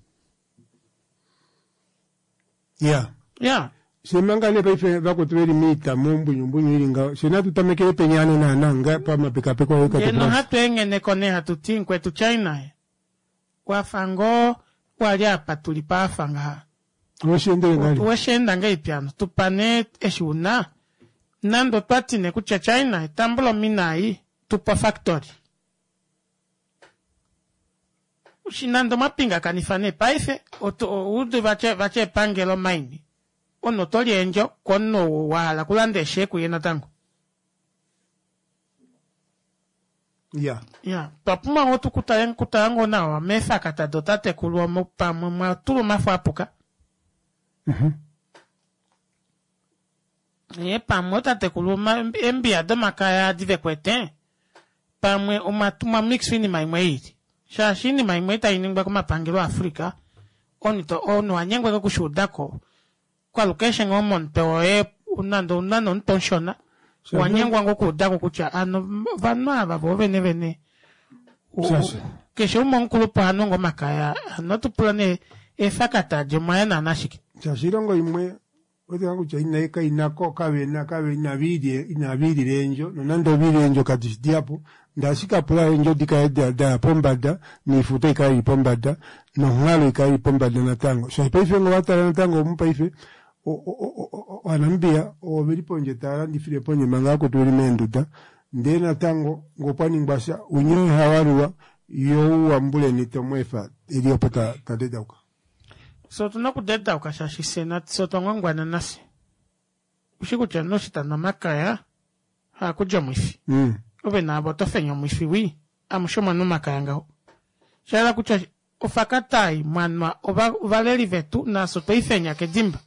Ya. Ya. Fye manga nee paife vakwetu veli moita mombunyumbunyu ili ngaho, fye natu tamekele peni hano naana nga pamapekapeko oye Ngeno hatu engheneko nee hatu ti mukwetu China wafa ngoo wali apa tuli paafa ngaha. Wesheendele ngahelipi? Wesheenda ngahelipi hano? Tupa nee eshi una. Nande otwa ti nee kutya China tambula omina ei, tupa ofactory. Nande omwa pingakanifa nee paife, oudu vatya epangelo mine. Omunhu oto li eendjo komunhu ou wa hala okulanda eeshee kuye natango. Ya. Ya, twa pumbwa ngoo tukutale kutala ngoo nawa meefakata dotatekulu omo pamwe mwa tulwa omafo apuka. Mhm. Ee, pamwe otatekulu eembiya domakaya adi vekwete, pamwe omwa mwa mix oinima imwe iili. Shaashi oinima imwe itai ningwa komapangelo aAfrica, omunhu omunhu wa nyengwa okushuudako kwalukeshe ngoo momutwe woye nande ouna nomutwe omushona, wa nyengwa ngoo okuudako kutya ano ovanhu ava vo vene vene Shaashi Keshe umwe omukulupe oha nu ngoo omakaya, hano otupula nee eefakata adi omwaya naana shike. Shaashi oilongo imwe otoka kutya ina kainako kavena kave inaviilye inaviilila eendjo nonande oviile eendjo kadishi dihapu ndee ashike apula eendjo dikale daya pombada noifuta ikale ili pombada nonghalo ikale ili pombada natango shaashi paife ngee owatala natango mopaife ovaNamibia oveli pondje tavalandifile pondje manga vakwetu veli meenduda ndee natango ngee opwaningwa sha unye hawalulwa yoo uwambuleni tomweefa eli opo tadedauka. Fye otuna okudedauka shaashi fye nafye otwa ngwangwana nafye. Ushi kutya omunhu eshi tanu omakaya haakulya omwifi. Mm. Ove naave oto fenya omwifi wii, amushe omwa nwa omakaya ngaho. Shahala kutya ofakata ei mwanwa ovaleli vetu nafye otwe ifenya kedimba.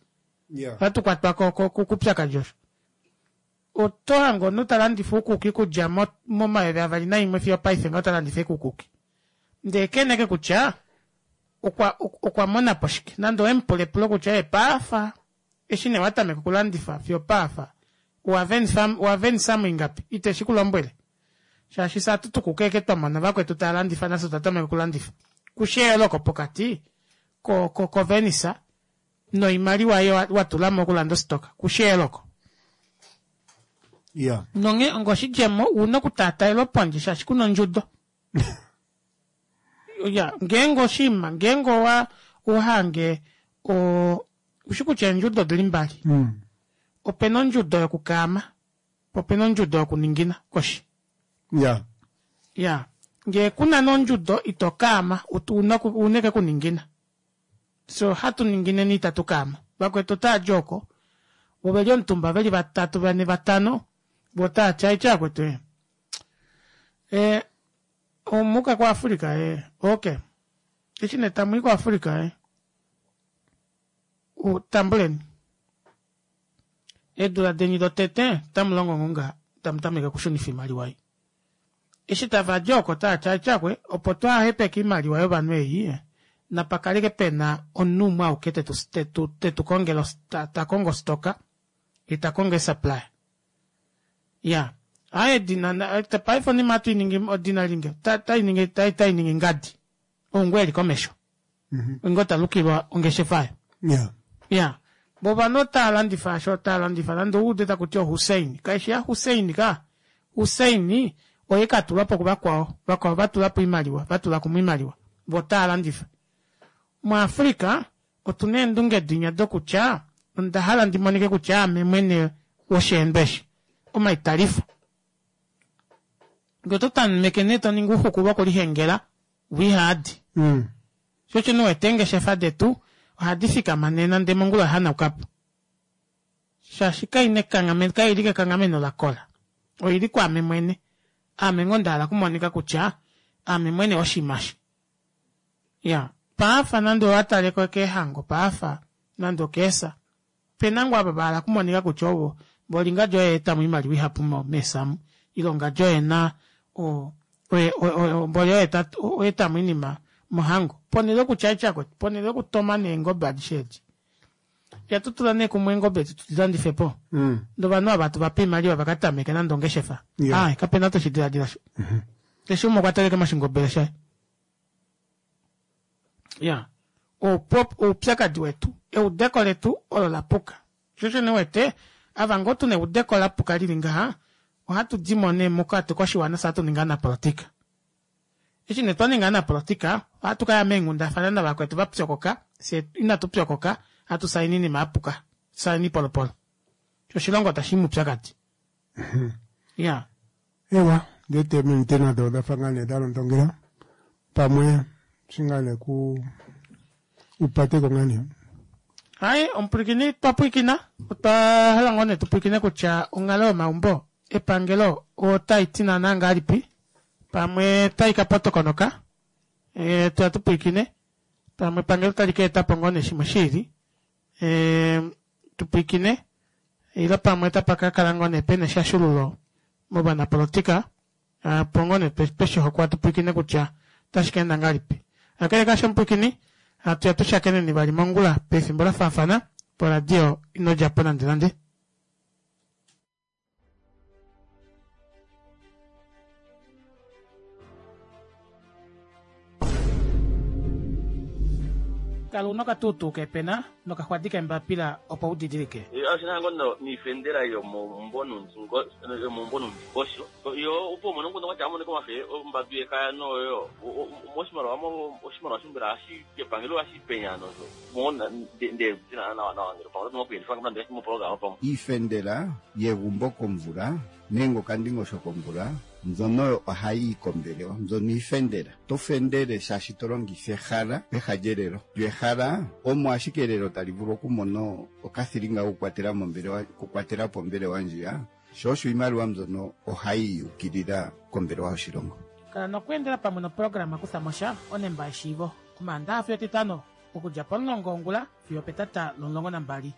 Yeah. Ohatu kwatwa koupyakadi osho. Oto hange omunhu talandifa uukuki okudja momayovi avali naimwe fiyo opaife ngaho talandifa ashike uukuki. Ndee keneke kutya okwa okwa mona po shike. Nande owe mu pula epulo kutya ee paafa eshi nee watameka okulandifa fiyo opaafa owa venisa mo ingapi, ite shi ku lombwele. Shaashi fye ohatu tukuka ashike twa mona vakwetu tava landifa nafye otwa tameka okulandifa. Kushi eyooloko pokati ko ko kovenisa noimaliwa ei wa tula mo okulanda ostoka, kushi eyooloko. Yeah. Nonghee onga oshidjemo ouna okutaataelwa pondje shaashi kuna ondjudo. Ya, ngeenge oshinima, ngeenge owa ohange o ushi kutya eendjudo odili mbali. Mm. Opena ondjudo yokukaama, po opena ondjudo yokuningina koshi. Yeah. Ya, ngee kuna nee ondjudo ito kaama, una una eke kuningina. So hatu ningineni itatu kaama. Vakwetu otaadi oko, vo veli omutumba veli vatatu vane vatano, vo otaati aitya vakwetu ee. E, omuka kuAfrica ee, okay. Eshi nee tamui kuAfrica ee, tambuleni. Eedula deni dotete otamu longo ngoo ngaha, tamu tameke okushunifa oimaliwa ei. Eshi tavadi oko otaati aitya kwe, opo twahepeke oimaliwa yovanhu ei, napa kaleke pena omunhu umwe auke tetu, tetu, tetu kongele, ta kongo ostoka, ye ta kongo eesupplier. Ya, aaye edina, paife onima ohatu iningi, odina lingi, otainingi otainingi ngadi. Ou ngoo eli komesho. Ngoo talukilwa ongeshefa oyo. Yeah. Ya, vo ovanhu otava landifa asho otava landifa nande ouude takuti oHussein. Kaishi yaHussein ka. Hussein oye katulwapo kuvakwao. Vakwao vatulapo oimaliwa, vatula kumwe oimaliwa. Vo otava landifa. MuAfrica otuna eendunge dinya dokutya onda hala ndi monike kutya aame mwene wosheendo eshi. Omaitalifo. Ngee oto tameke nee toningi ouxuku vokulihengela, wihaadi. Mm. Sho osho nee uwete eengeshefa detu ohadi fikama nena ndee mongula oya hanaukapo. Shaashi kaina ekanghameno, kaili kekanghameno lakola. Oili kwaame mwene. Aame ngoo nda hala okumonika kutya aame mwene woshinima eshi. Ya, paafa nande owataleko keehango, paafa nande okeesa, opena ngoo ava vahala okumonika kutya ovo mboli ngadi oye aetamo oimaliwa ihapu meesa omu, ile ngadi oye ena mboli oye aetamo oinima mohango. Ponhele yokutya aitya kwetu, ponhele yokutoma nee eengobe adishe edi, ihatu tula nee kumwe eengobe edi tudi landifepo, Mm. ndee ovanhu ava tuvape oimaliwa vakatameke nande ongeshefa. Yeah. Aai, kapena toshi diladila osho. Keshe umwe okwa taleka moshingobele shaye. Ya, oupyakadi wetu, eudeko letu olo lapuka. Sho osho nee uwete, ava ngoo tuna eudeko lapuka lili ngaha, ohatu dimo nee mokati koshiwana fye ohatu ningi ovanapolotika. Eshi nee twa ninga ovanapolotika, ohatu kaya meenghundafana navakwetu vapyokoka, fyee inatu pyokoka, hatu saini oinima yapuka, saini oipolopolo. Sho oshilongo tashi i moupyakadi. Ya. Ewa, ndee eminute nado odafa ngaa nee dalondongela pamwe eshi ngaa nee ku upateko ngaa nee. Hai, omupwilikini twa pwilikina, otwa hala ngoo nee tupwilikine kutya onghalo yomaumbo epangelo otai ti naana ngahelipi, pamwe tai ka potokonoka, e, tuya tupwilikine, pamwe epangelo otali ka etapo ngoo nee shimwe shiili, e, tupwilikine, ile pamwe otapa ka kala ngoo nee pena eshashululo movanapolotika, opo ngoo nee tweshihokwa tupwilikine kutya otashi ka enda ngahelipi. Kakele kaasho omupwilikini, hatuya tushakeneni vali mongula pefimbo lafaafana poradio ino djapo nande nande. Kala una okatuutuu keepena nokaxwadi keembapila opo u didilike. Oshina ngo niifendela yomombo nuundingosho yo opo umone nguno kwatya amone komafe ombambi yekaya noyo moshimaliwa oshimaliwa shimbela ashi kepangelo ashi penya nozo mona nde tina nawa nawa ngelo pamwe oto kuyelifa nande moprograma pamwe Iifendela yegumbo komvula nenge okandingosho komvula mbyono ohayi yi kombelewa mbyono iifendela to fendele shaashi to longitha ehala peha lyelelo lyo ehala omo ashike elelo tali vulu okumona okathilinga kokukwatela mombelewa kukwatela po ombelewa ndjiya sho osho iimaliwa mbyono ohayi yukilila kombelewa yoshilongo. Kala nokweendela pamwe noprograma Kutha mo sha onemba yeshiivo Omaandaxa fiyo Etitano okudja pomulongo wongula fiyo opetata lomulongo nambali.